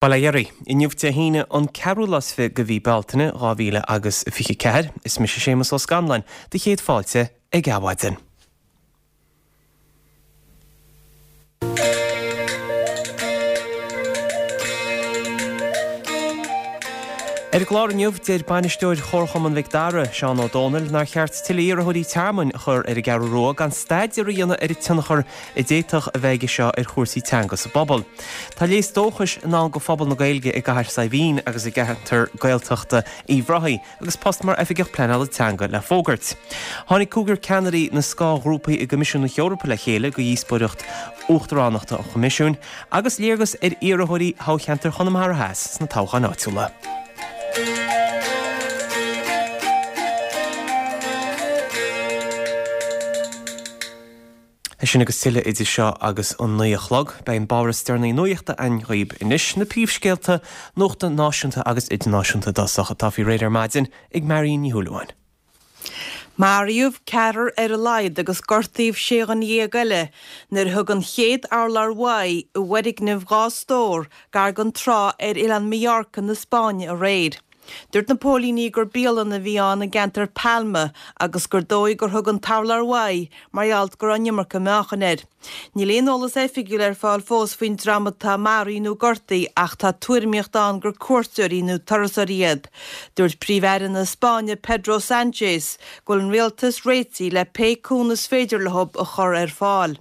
Bail ó Dhia oraibh. Inniu Dé hAoine an ceathrú lá is fi' de mhí Bealtaine 2000 agus 24. Is mise Séamus Ó Scanláin, do chéad fáilte ag Adhmhaidin. Ar an gclár inniu, deir bainisteoir Chomharchumann Mhic Dara, Seán Ó Dónaill, nár cheart tuilleadh iarrthóirí tearmainn a chur ar an gCeathrú Rua gan staidéar a dhéanamh ar an tionchar a d'fhéadfadh a bheith aige seo ar chúrsaí teanga sa bpobal. Tá léas dóchais i ndán do phobal na Gaeilge i gCathair Saidhbhín agus i gceantar Gaeltachta Uíbh Ráthaigh agus post mar Oifigeach Pleanála Teanga le fógairt. Tháinig cúigear ceannairí na scáthghrúpaí i gCoimisiún na hEorpa le chéile do dhíospóireacht Uachtaránachta an Choimisiúin agus léargas ar iarrthóirí thoghcheantar Chonamara Theas sna toghcháin áitiúla. É sin agus tuilleadh idir seo agus an 9 a chlog. Beidh an babhta is deireanaí nuachta againn dhaoib anois, na príomhscéalta nuachta náisiúnta agus idirnáisiúnta i dtosach atá faoi réir ar maidin ag Marion Ní Shúilleabháin. Maraíodh ceathrar ar a laghad agus gortaíodh 16 dhuine eile nuair a thug an chéad urlár uaidh i bhfoirgneamh dhá stór gar don trá ar oileán Mallorca na Spáinne aréir. Dúirt na póilíní gur bialann a bhí ann i gceantar Palma agus gur dóigh gur thug an t-urlár uaidh mar gheall go raibh an iomarca meáchain air. Níl aon eolas oifigiúil ar fáil fós faoin dream atá maraithe nó gortaithe ach tá tuairimíocht ann gur cuairteoirí nó turasóirí iad. Dúirt Príomh-Aire na Spáinne Pedro Sanchez go bhfuil an rialtas réitithe le pé cúnamh is féidir leo a chur ar fáil.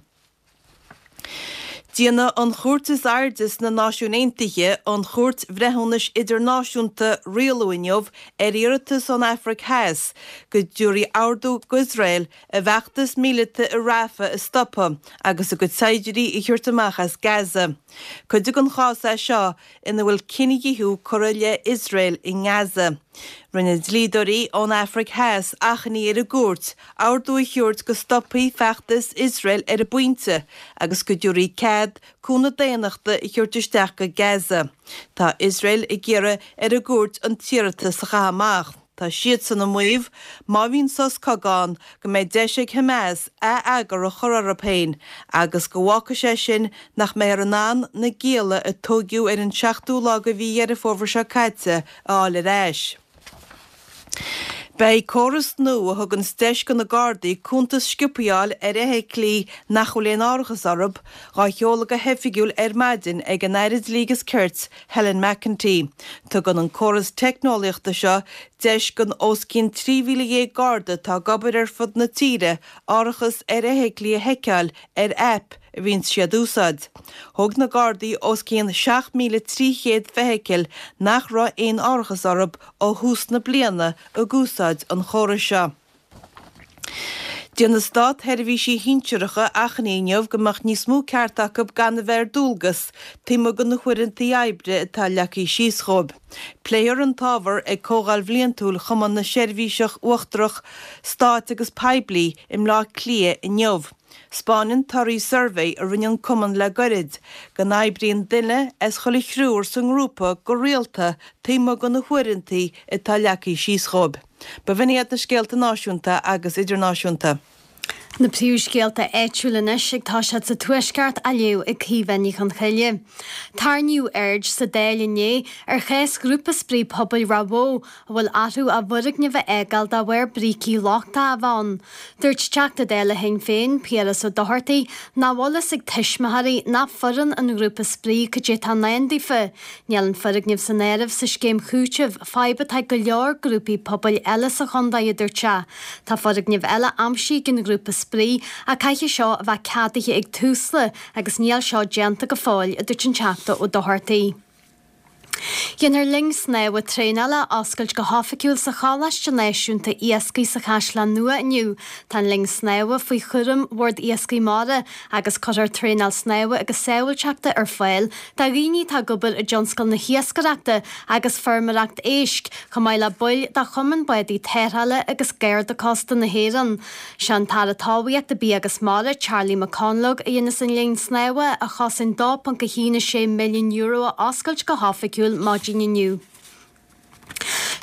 Déanfaidh an chúirt is airde sna Náisiúin Aontaithe, an Chúirt Bhreithiúnais Idirnáisiúnta, rialú inniu ar iarratas ón Afraic Theas go dtabharfaí ordú d'Iosrael a bhfeachtas míleata i Rafah a stopadh agus a gcuid saighdiúirí a thabhairt amach as Gaza. Cuid den chás é seo ina bhfuil cinedhíothú curtha i leith Iosrael i nGaza. Rinne dlíodóirí ón Afraic Theas achainí ar an gcúirt ordú a thabhairt go stopfaí feachtas Iosrael ar an bpointe agus go dtabharfaí cead cúnamh daonnachta a thabhairt isteach go Gaza. Tá Iosrael ag iarraidh ar an gcúirt an t-iarratas a chaitheamh amach. Tá siadsan ag maíomh, má bhíonn sos cogaidh ann, go mbeidh deis ag Hamas ath-eagar a chur orthu féin agus go bhfágfaidh sé sin nach mbeifear in ann na gialla a tóigeadh ar an seachtú lá de mhí Dheireadh Fómhair seo caite a fháil ar ais. Beidh córas nua a thuganns deis do na Gardaí cuntas sciobtha a fháil ar fheithiclí nach bhfuil aon árachas orthu, dhá sheoladh go hoifigiúil ar maidin ag an Aire Dlí agus Cirt, Helen McEntee. Tugann an córas teicneolaíochta seo deis don os cionn 13,000 Garda atá ag obair ar fud na tíre árachas ar fheithiclí a sheiceáil ar aip a bhíonns siad a úsáid. Thóg na Gardaí os cionn 7,300 feithicil nach raibh aon árachas orthu ó thús na bliana ag úsáid an chórais seo. Déanfaidh státsheirbhísigh shinsearacha achainí inniu go mbeadh níos mó ceart acu gan a bheith ar dualgas taobh amuigh de na huaireanta oibre atá leagtha síos dhóibh. Pléifear an t-ábhar ag Comhdháil Bhliantúil Chumann na Seirbhíseach Uachtarach Stáit agus Poiblí i mBleá Cliath inniu. 'Spáineann torthaí suirbhé a rinne an cumann le goirid go n-oibríonn duine as chuile thriúr sa ngrúpa go rialta taobh amuigh de na huaireanta atá leagtha síos dhóibh. B'in iad na scéalta náisiúnta agus idirnáisiúnta. Na príomhscéalta áitiúla anois ag toiseacht sa Tuaisceart á léamh ag Caoimhe Ní Chonchoille. Tarraingíodh aird sa Dáil inné ar chás Ghrúpa Spraoi Pobail Ráth Bhoth a bhfuil orthu a bhfoirgneamh a fhágáil de bharr brící lochtacha a bheith ann. Dúirt Teachta Dála Shinn Féin, Piaras Ó Dochartaigh, nach bhfuil fhios ag tuismitheoirí ná foireann an ghrúpa spraoi cad é atá i ndán daofa. Níl an foirgneamh san áireamh sa scéim chúitimh, fadhb atá ag go leor grúpaí pobail eile sa chontae, a dúirt sé. Tá foirgneamh eile aimsithe ag an ghrúpa spraoi ach caithfidh seo a bheith ceadaithe ag Tusla agus níl seo déanta go fóill, a dúirt an Teachta Ó Dochartaigh. Déanfar linn snámha traenála a oscailt go hoifigiúil sa Choláiste Náisiúnta Iascaigh sa Chaisleán Nua inniu. Tá an linn snámha faoi chúram Bhord Iascaigh Mhara agus cuirfear traenáil snámha agus sábháilteachta ar fáil do dhaoine atá ag obair i dtionscal na hiascaireachta agus feirmeoireacht éisc, chomh maith le baill de Chumann Bádaí Tarrthála agus Garda Cósta na hÉireann. Sé an tAire Talmhaíochta, Bia agus Mara, Charlie McConalogue, a dhéanfas an linn snámha, a chosain €2.16 milliún, a oscailt go hoifigiúil maidin inniu.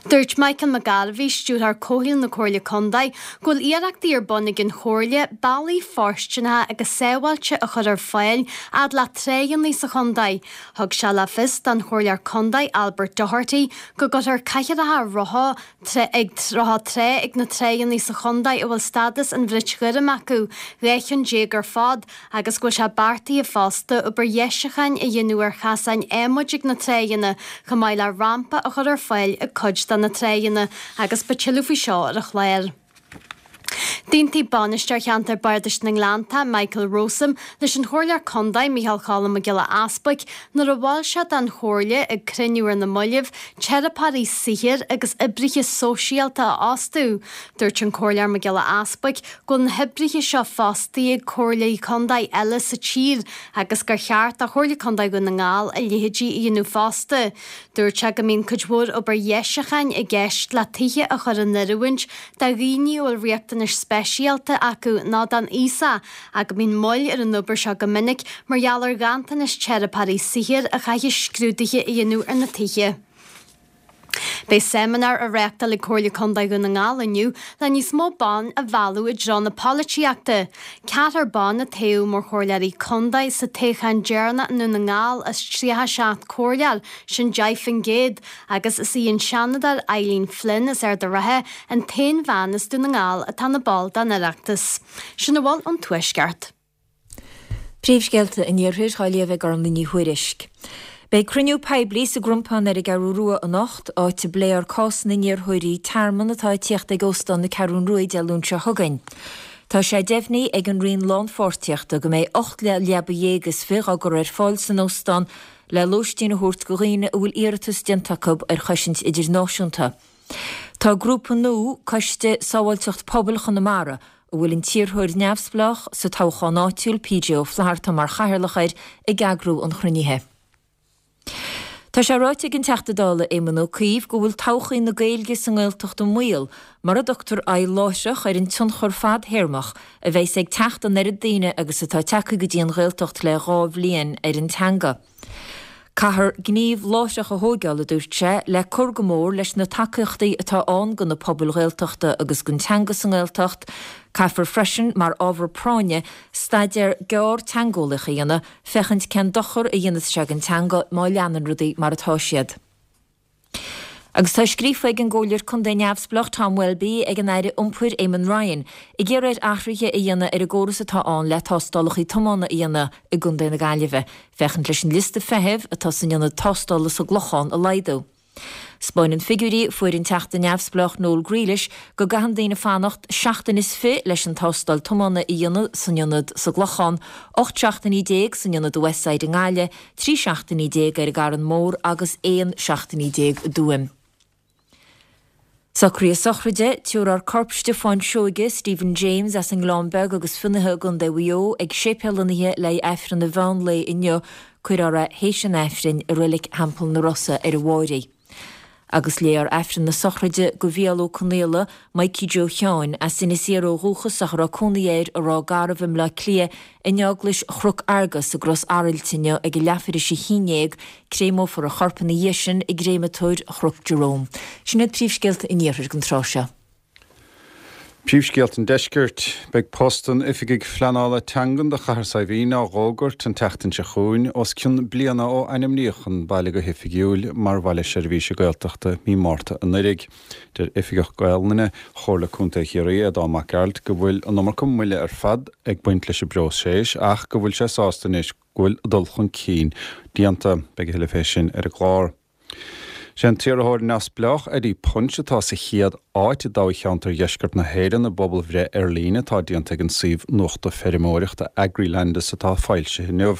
Dúirt Michael McGarvey, Stiúrthóir Comhshaoil na Comhairle Contae, go bhfuil iarrachtaí ar bun ag an Chomhairle bealaí fóirsteanacha agus sábháilte a chur ar fáil fhad le tráigheanna sa chontae. Thug sé le fios don Chomhairleoir Contae Albert Doherty go gcuirfear cathaoireacha rotha ag rotha trá ag na tráigheanna sa chontae a bhfuil stádas an bhrait ghoirm acu, 12 cheann ar fad, agus go bhfuil sé beartaithe fosta obair dheisiúcháin a dhéanamh ar chasáin adhmaid ag na tráigheanna, chomh maith le rampa a chur ar fáil ag cuid de na tráigheanna, agus beidh tuilleadh faoi seo ar an chlár. D'aontaigh Bainisteoir Cheantar Bardais na nGleanntach, Michael Rowsome, leis an Chomhairleoir Contae, Micheál Cholm Mac Giolla Easbuic, nuair a mhol sé don Chomhairle ag cruinniú ar na mallaibh, teiripeoirí saothair agus oibrithe sóisialta a fhostú. Dúirt an Comhairleoir Mac Giolla Easbuic go bhfuil na hoibrithe seo fostaithe ag Comhairlí Contae eile sa tír agus gur cheart do Chomhairle Contae Dhún na nGall a leithéidí a dhéanamh fosta. Dúirt sé go mbíonn cuid mhór obair dheisiúcháin i gceist le tithe a chur in oiriúint do dhaoine a bhfuil riachtanais speisialta acu nó don aosach ach go mbíonn moill ar an obair seo go minic mar gheall ar ghanntanas teiripeoirí saothair a chaithfidh scrúduithe a dhéanamh ar na tithe. Beidh seimineár á reáchtáil ag Comhairle Contae Dhún na nGall inniu le níos mó ban a mhealladh i dtreo na polaitíochta. Ceathrar ban a toghadh mar chomhairleoirí contae sa toghchán deireanach i nDún na nGall as 37 comhairleoir, sin 10%, agus is í an Seanadóir Eileen Flynn as Ard an Rátha an t-aon bhean as Dún na nGall atá ina ball den Oireachtas. Sin a bhfuil ón Tuaisceart. Príomhscéalta an Iarthair á léamh ag Orla Ní Thuairisg. Beidh cruinniú poiblí sa gCrompán ar an gCeathrú Rua anocht, áit a bpléifear cás na n-iarrthóirí tearmann atá ag tíocht ag Óstán na Ceathrún Rua Dé Luain seo chugainn. Tá sé deimhnithe ag an Roinn Lánpháirtíochta go mbeidh 18 leaba is 20 á gcur ar fáil san óstán le lóistín a thabhairt do dhaoine a bhfuil iarratas déanta acu ar chosaint idirnáisiúnta. Tá grúpa nua, Coiste Sábháilteacht Pobail Chonamara, a bhfuil an t-iarrthóir neamhspleách sa toghchán áitiúil, PJ Ó Flatharta mar chathaoirleach air, ag eagrú an chruinnithe. Tá sé ráite ag an Teachta Dála Éamon Ó Cuív go bhfuil todhchaí na Gaeilge sa nGaeltacht i mbaol mura dtugtar aghaidh láithreach ar an tionchar fadthéarmach a bheas ag teacht an oiread daoine agus atá tagtha go dtí an Ghaeltacht le 2 bhliain ar an teanga. Caithfear gníomh láithreach a thóigeáil, a dúirt sé, le cur go mór leis na tacaíochtaí atá ann do na pobail Ghaeltachta agus don teanga sa nGaeltacht. Caithfear freisin, mar ábhar práinne, staidéar gearr teangeolaíoch a dhéanamh féachaint cén dochar a dhéanfas sé don teanga má leanann rudaí mar atá siad. Agus tá scríofa ag an gComhairleoir Contae Neamhspleách Tom Welby ag an Aire Iompair Eamon Ryan ag iarraidh air athruithe a dhéanamh ar an gcóras atá ann le tástálacha tiomána a dhéanamh i gContae na Gaillimhe, féachaint leis an liosta feithimh atá san ionad tástála sa gClochán a laghdú. 'Spáineann figiúirí a fuair an Teachta Neamhspleách Noel Grealish go gcaitheann daoine fanacht seachtain is fi leis an tástáil tiomána a dhéanamh san ionad sa gClochán, 18 seachtainí san ionad i Westside i nGaillimh, 13 seachtainí ar an gCarn Mór agus 11 seachtainí i dTuaim. Socruithe sochraide, Tabharfar corp Stiofáin Seoige, Stephen James, as an nGleann Beag agus Fionnaithe i gContae Mhaigh Eo ag séipéal an oíche le haghaidh Aifreann an mheán lae inniu, cuirfear é théis an Aifrinn i Reilig Theampall na Rosa ar an Mháraigh. Agus léifear Aifreann na sochraide do Mhícheál Ó Conaola, Mikey Joe Sheáin, as Inis Oírr ó dhúchas ach a raibh cónaí air i Ráth Garbh i mBleá Cliath, in Eaglais Chnoc Fhearghus i gCros Arailt inniu ag a leathuair théis a 11, Créamófar a chorp ina dhiaidh sin i gcréamatóir Chnoc Jerome. Sin iad príomhscéalta an Iarthair don tráth seo. Príomhscéalta an Deiscirt. Beidh post an Oifigigh Phleanála Teangan do Chathair Saidhbhín á dh'fhógairt an tseachtain seo chugainn, os cionn bliana ó ainmníodh an baile go hoifigiúil mar Bhaile Seirbhíse Gaeltachta mí Márta anuraidh. Deir Oifigeach Gaolainne Chomhairle Contae Chiarraí, Aodán Mac Gearailt, go bhfuil an iomarca moille ar fad ag baint leis an bpróiseas ach go bhfuil sé sásta anois go bhfuil dul chun cinn déanta. Beidh a thuilleadh fé sin ar an gclár. Sé an t-iarrthóir neamhspleách Eddie Punch atá sa chéad áit i dtoghcheantar Dheisceart na hÉireann i bpobalbhreith ar líne atá déanta ag an suíomh nuachta feirmeoireachta Agrilandis atá foilsithe inniu.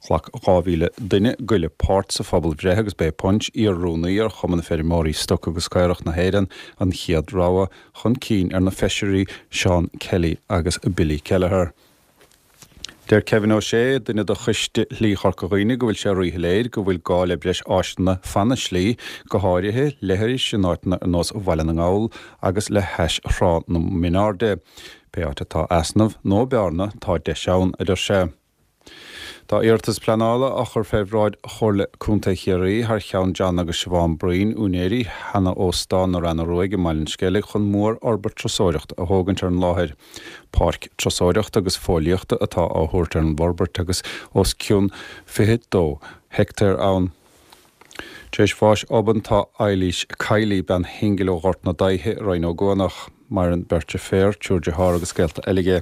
Ghlac 2,000 duine go leith páirt sa phobalbhreith agus b'é Punch, iar-rúnaí ar Chumann Feirmeoirí Stoc agus Caorach na hÉireann, an chéad rogha chun cinn ar na feisirí Seán Kelly agus Billy Kelleher. Deir Kevin O'Shea, duine de Choiste Shlí Chorca Dhuibhne, go bhfuil sé ríshoiléir go bhfuil gá le breis áiseanna fan na slí, go háirithe leithris in áiteanna ar nós Bhaile na nGall agus le hais Thrá na Mionairde. Pé áit atá easnamh nó bearna, tá deis ann, a deir sé. Tá iarratas pleanála á chur fé bhráid Chomhairle Contae Chiarraí thar cheann John agus Siobhán Breen, úinéirí sheana-óstán na Reanna Ruaidh i mBaile an Sceilg chun mór-fhorbairt turasóireachta a thógaint ar an láthair. Páirc turasóireachta agus fóillíochta atá á thabhairt ar an bhforbairt agus os cionn 22 heictéar ann. Tar éis bháis obann tá Eilís Kiely, bean shingil ó Ghort na Daighthe i Rinn Ó gCuanach. Maireann beirt deirféar, triúr dearthár agus gaolta eile aige.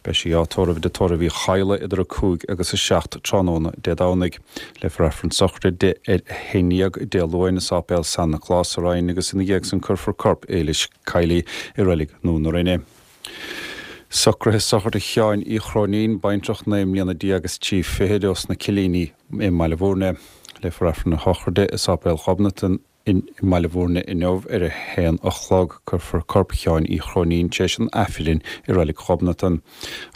Beidh sí á tórramh i dTigh Tórraimh Uí Chadhla idir 5 agus 7 tráthnóna Dé Domhnaigh. Léifear Aifreann sochraide di ar 11 Dé Luain i Sáipéal San Nioclás sa Rinn agus ina dhiaidh san cuirfear corp Éilis Kiely i Reilig Nua na Rinne. Socruithe sochraide Sheáin Uí Chróinín, baintreach 19 mbliana agus 3 fichid ós na Cillíní i mBaile Bhúirne. Léifear Aifreann a shochraide i Sáipéal Ghobnatan i mBaile Bhúirne inniu ar a haon a chlog. Cuirfear corp Sheáin Uí Chróinín tar éis an Aifrinn i Reilig Ghobnatan.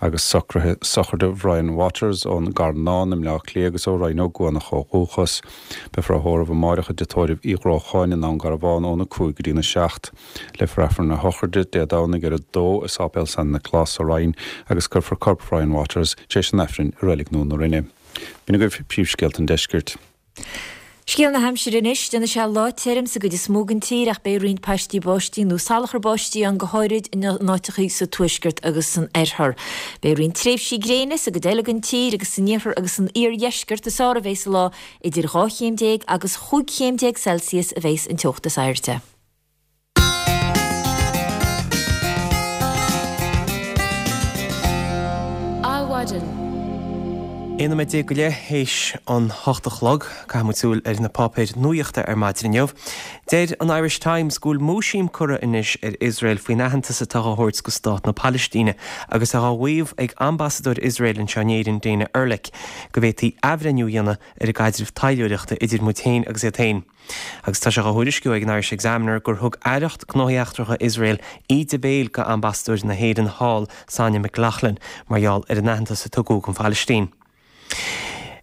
Agus socruithe sochraide Bhrian Waters ón gCarnán i mBleá Cliath agus ó Rinn Ó gCuanach ó dhúchas. Beifear á thórramh amáireach i dTigh Tórraimh Uí Ghrócháin i nDún Garbhán óna 5 go dtína 7. Léifear Aifreann a shochraide Dé Domhnaigh ar a 2 i Sáipéal San Nioclás sa Rinn agus cuirfear corp Bhrian Waters tar éis an Aifrinn i Reilig Nua na Rinne. B'in agaibh príomhscéalta an deiscirt. Scéal na haimsire anois, déanfaidh sé lá tirim sa gcuid is mó den tír ach beidh roinnt paistí báistí nó salachar báistí ann go háirid in áiteachaí sa tuaisceart agus san oirthear. Beidh roinnt tréimhsí gréine sa gcuid eile den tír agus san iarthar agus san iardheisceart is fearr a bheidh an lá idir 12 chéim agus 15 chéim Celsius a bheas an teocht is airde. Adhmhaidin. 11 nóiméad go leith théis an hocht a chlog, caithfidh muid súil ar na páipéir nuachta ar maidin inniu. Deir an Irish Times go bhfuil múisiam curtha anois ar Iosrael faoin aitheantas atá á thabhairt go stát na Palaistíne agus é á mhaíomh ag ambasadóir Iosrael anseo in Éirinn, Dana Erlich, go bhféadfaí athbhreithniú a dhéanamh ar an gcaidreamh taidhleoireachta idir muid féin agus iad féin. Agus tá sé á thuairisciú ag an Irish Examiner gur thug Aireacht Gnóthaí Eachtracha Iosrael íde béil go ambasadóir na hÉireann thall, Sonia McLaughlin, mar gheall ar an aitheantas a tugadh don Phalaistín.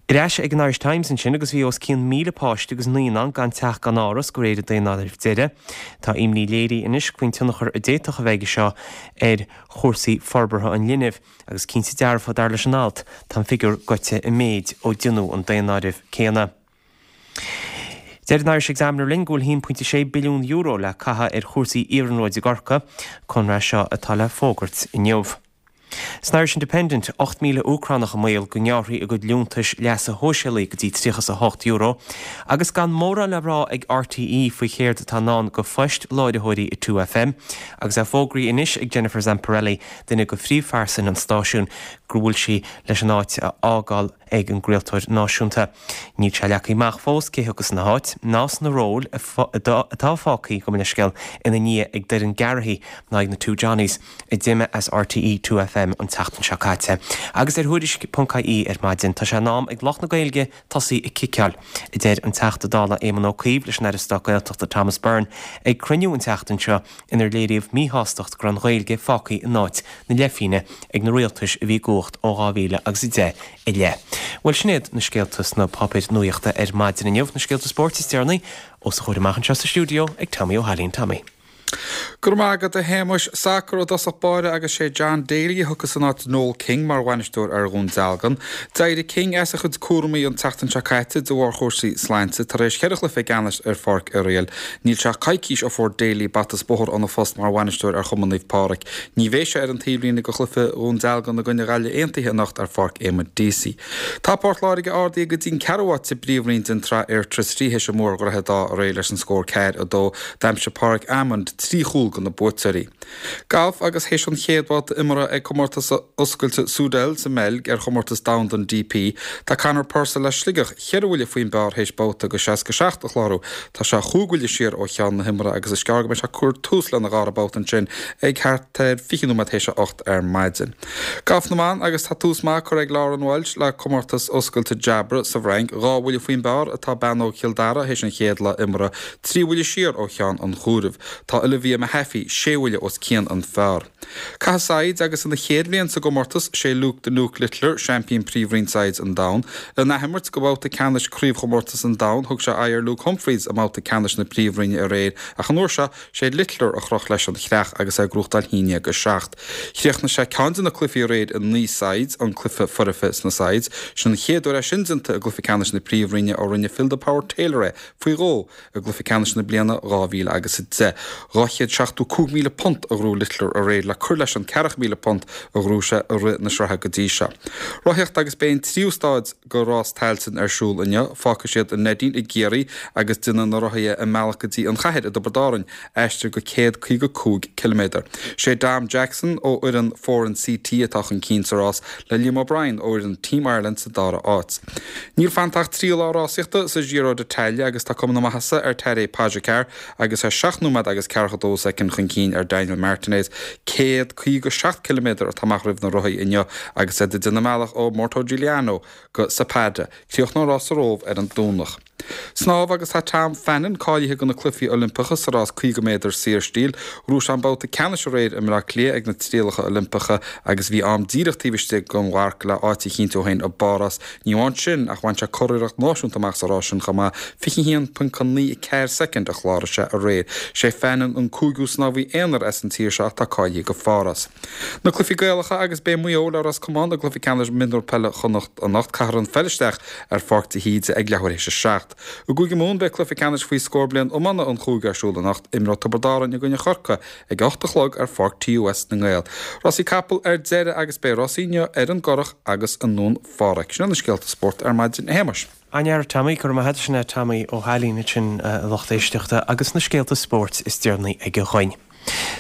Ar ais ag an Irish Times ansin agus bhí os cionn 1,000 páiste agus naíonán gan teach gan áras de réir an daonáirimh deiridh. Tá imní léirithe anois faoin tionchar a d'fhéadfadh a bheith aige seo ar chúrsaí forbartha an linbh. Agus cinnte dearfa, dar leis an alt, tá an figiúr gaibhte i méid ó deineadh an daonáireamh céanna. Deir an Irish Examiner linn go bhfuil €1.6 billiún le caitheamh ar chúrsaí iarnróid i gCorcaigh, conradh seo atá le fógairt inniu. San Irish Independent, 8,000 Úcránach i mbaol go ngearrfaí a gcuid liúntais leasa shóisialaigh go dtí €38 agus gan mórán le rá ag RTÉ faoi chéard atá i ndán go phoist láithreoirí i 2FM agus é fógraithe anois ag Jennifer Zamparelli, duine de phríomhphearsain an stáisiúin, go bhfuil sí leis an áit a fhágáil. ag an gcraoltóir náisiúnta. Níl sé leagtha amach fós cé thiocfas ina háit, ná sna róil atá fágtha, gabh mo leithscéal, ina ndiaidh ag Doireann Garrihy ná ag na Two Johnnies a d'imigh as RTÉ 2FM an tseachtain seo caite. Agus ar Thuairisc.ie ar maidin, tá sé in am ag lucht na Gaeilge tosaí ag ciceáil, a deir an Teachta Dála Éamon Ó Cuív leis an Aire Stáit Gaeltachta Thomas Byrne ag cruinniú an tseachtain seo inar léiríodh míshástacht go raibh an Ghaeilge fágtha in áit na leithphingne ag na rialtais a bhí i gcumhacht ó 2000 agus 10 i leith. Bhuel, sin iad na scéalta sna páipéir nuachta ar maidin inniu. Na scéalta spóirt is deireanaí os a chomhair amach anseo sa stiúideo ag Tommy Ó hAilín. Tommy. Go raibh maith agat a Shéamuis. Sacar i dtosach báire agus sé John Daly a thiocfas in áit Noel King mar bhainisteoir ar Dhún Dealgan. D'éirigh King as a chuid cúramaí an tseachtain seo caite de bharr chúrsaí sláinte tar éis cheithre chluiche ceannais ar Pháirc Uí Righill. Níl sé ach coicís ó fuair Daly bata is bóthar óna phost mar bhainisteoir ar Chumann Naomh Pádraig. Ní bheidh sé ar an taobhlíne do chluiche Dhún Dealgan i gcoinne Ghaillimh Aontaithe anocht ar Pháirc Éamonn Deacy. Tá Port Láirge ardaithe go dtí an ceathrú háit sa bPríomhroinn den tSraith Fhir 3 théis a mbua ar Dhroichead Átha aréir leis an scór 4, 2. D'aimsigh Pádraig Amond 3 chúl do na buaiteoirí. Galf agus théis an chéad bhabhta imeartha ag Comórtas Oscailte Soudal sa mBeilg ar Chomórtas Domhanda an DP, tá Conor Purcell as Sligeach cheithre bhuille faoin bpar théis babhta de 67 a chlárú. Tá sé chúig bhuille siar ó cheann na himeartha agus is gearr go mbeidh sé ag cur tús lena dhara babhta ansin ag thart ar 20 nóiméad théis a 8 ar maidin. Galf na mban agus tá tús maith curtha ag Lauren Walsh le Comórtas Oscailte Jabra sa bhFrainc. Dhá bhuille faoin bpar atá bean óg Chill Dara théis an chéad lá imeartha, trí bhuille siar ó cheann an chomhairimh. Tá. Olivia Mehaffey sé bhuille os cionn an phar. Caitheamh saighead agus ina chéad bhliain sa gcomórtas, sé Luke 'The Nuke' Littler seaimpín Príomhroinn Saighead an Domhain. In athimirt go babhta ceannais Chraobhchomórtas an Domhain, thug sé aghaidh ar Luke Humphries i mbabhta ceannais na Príomhroinne aréir ach an uair seo, sé Littler a chroch leis an chreach agus é ag gnóthachtáil 1-7. Chríochnaigh sé ceann de na cluichí aréir i 9 saighead, an cluiche foirfe sna saighead. Sin an chéad uair é sin déanta i gcluiche ceannais na Príomhroinne ó rinne Phil 'The Power' Taylor é faoi dhó i gcluiche ceannais na bliana 2010. £275,000 a ghnóthaigh Littler aréir le cur leis an £40,000 a ghnóthaigh sé i rith na sraithe go dtí seo. Rothaíocht agus beidh an tríú staid de rás Tailteann ar siúl inniu. Fágfaidh siad an Neidín i gCiarraí agus déanfaidh na rothaithe a mbealach go dtí an chathair i dTiobraid Árann, aistear de 155 ciliméadar. Sé Dom Jackson ó fhoireann Foran CT atá chun cinn sa rás, le Liam O'Brien ó fhoireann Team Ireland sa dara háit. Níl fanta ach 3 lá rásaíochta sa Giro d'Italia agus tá cuma na maitheasa ar Tadej Pogacar agus é 7 nóiméad agus 42 soicind chun cinn ar Daniel Martinez. 157 ciliméadar atá amach roimh na rothaithe inniu agus iad ag déanamh a mbealach ó Mortegliano go Sappada. Críochnóidh an rás sa Róimh ar an Domhnach. Snámh agus tá Tom Fannin cáilithe do na Cluichí Oilimpeacha sa rás 50 méadar saorstíl. Ghnóthaigh sé an babhta ceannais aréir i mBleá Cliath ag na Trialacha Oilimpeacha agus bhí am díreach taobh istigh den mharc le áit a chinntiú dó féin i bPáras. Ní amháin sin ach bhain sé curiarracht náisiúnta amach sa rás sin chomh maith, 21.94 soicind a chláraigh sé aréir. Sé Fannin an cúigiú snámhaí aonair as an tír seo atá cáilithe go Pháras. Na cluichí Gaelacha agus beidh Maigh Eo le Ros Comáin i gcluiche ceannais mionúr peile Chonnacht anocht. Caithfear an pheil isteach ar Pháirc de hÍde ag leathuair théis a 7. I gCúige Mumhan beidh cluiche ceannais faoi scór bliain iomána an chúige ar siúl anocht. Imreoidh Tiobraid Árann i gcoinne Chorcaí ag a 8 a chlog ar Pháirc TUS na nGael. Rásaí capall ar deireadh agus beidh rásaí inniu ar an gCurrach agus i nDún Phádraig. Sin iad na scéalta spóirt ar maidin, a Shéamais. An-fhear, Tommy, go raibh maith agat. Sin é Tommy Ó hAilín ansin, a lucht éisteachta, agus na scéalta spóirt is deireanaí aige dhuinn.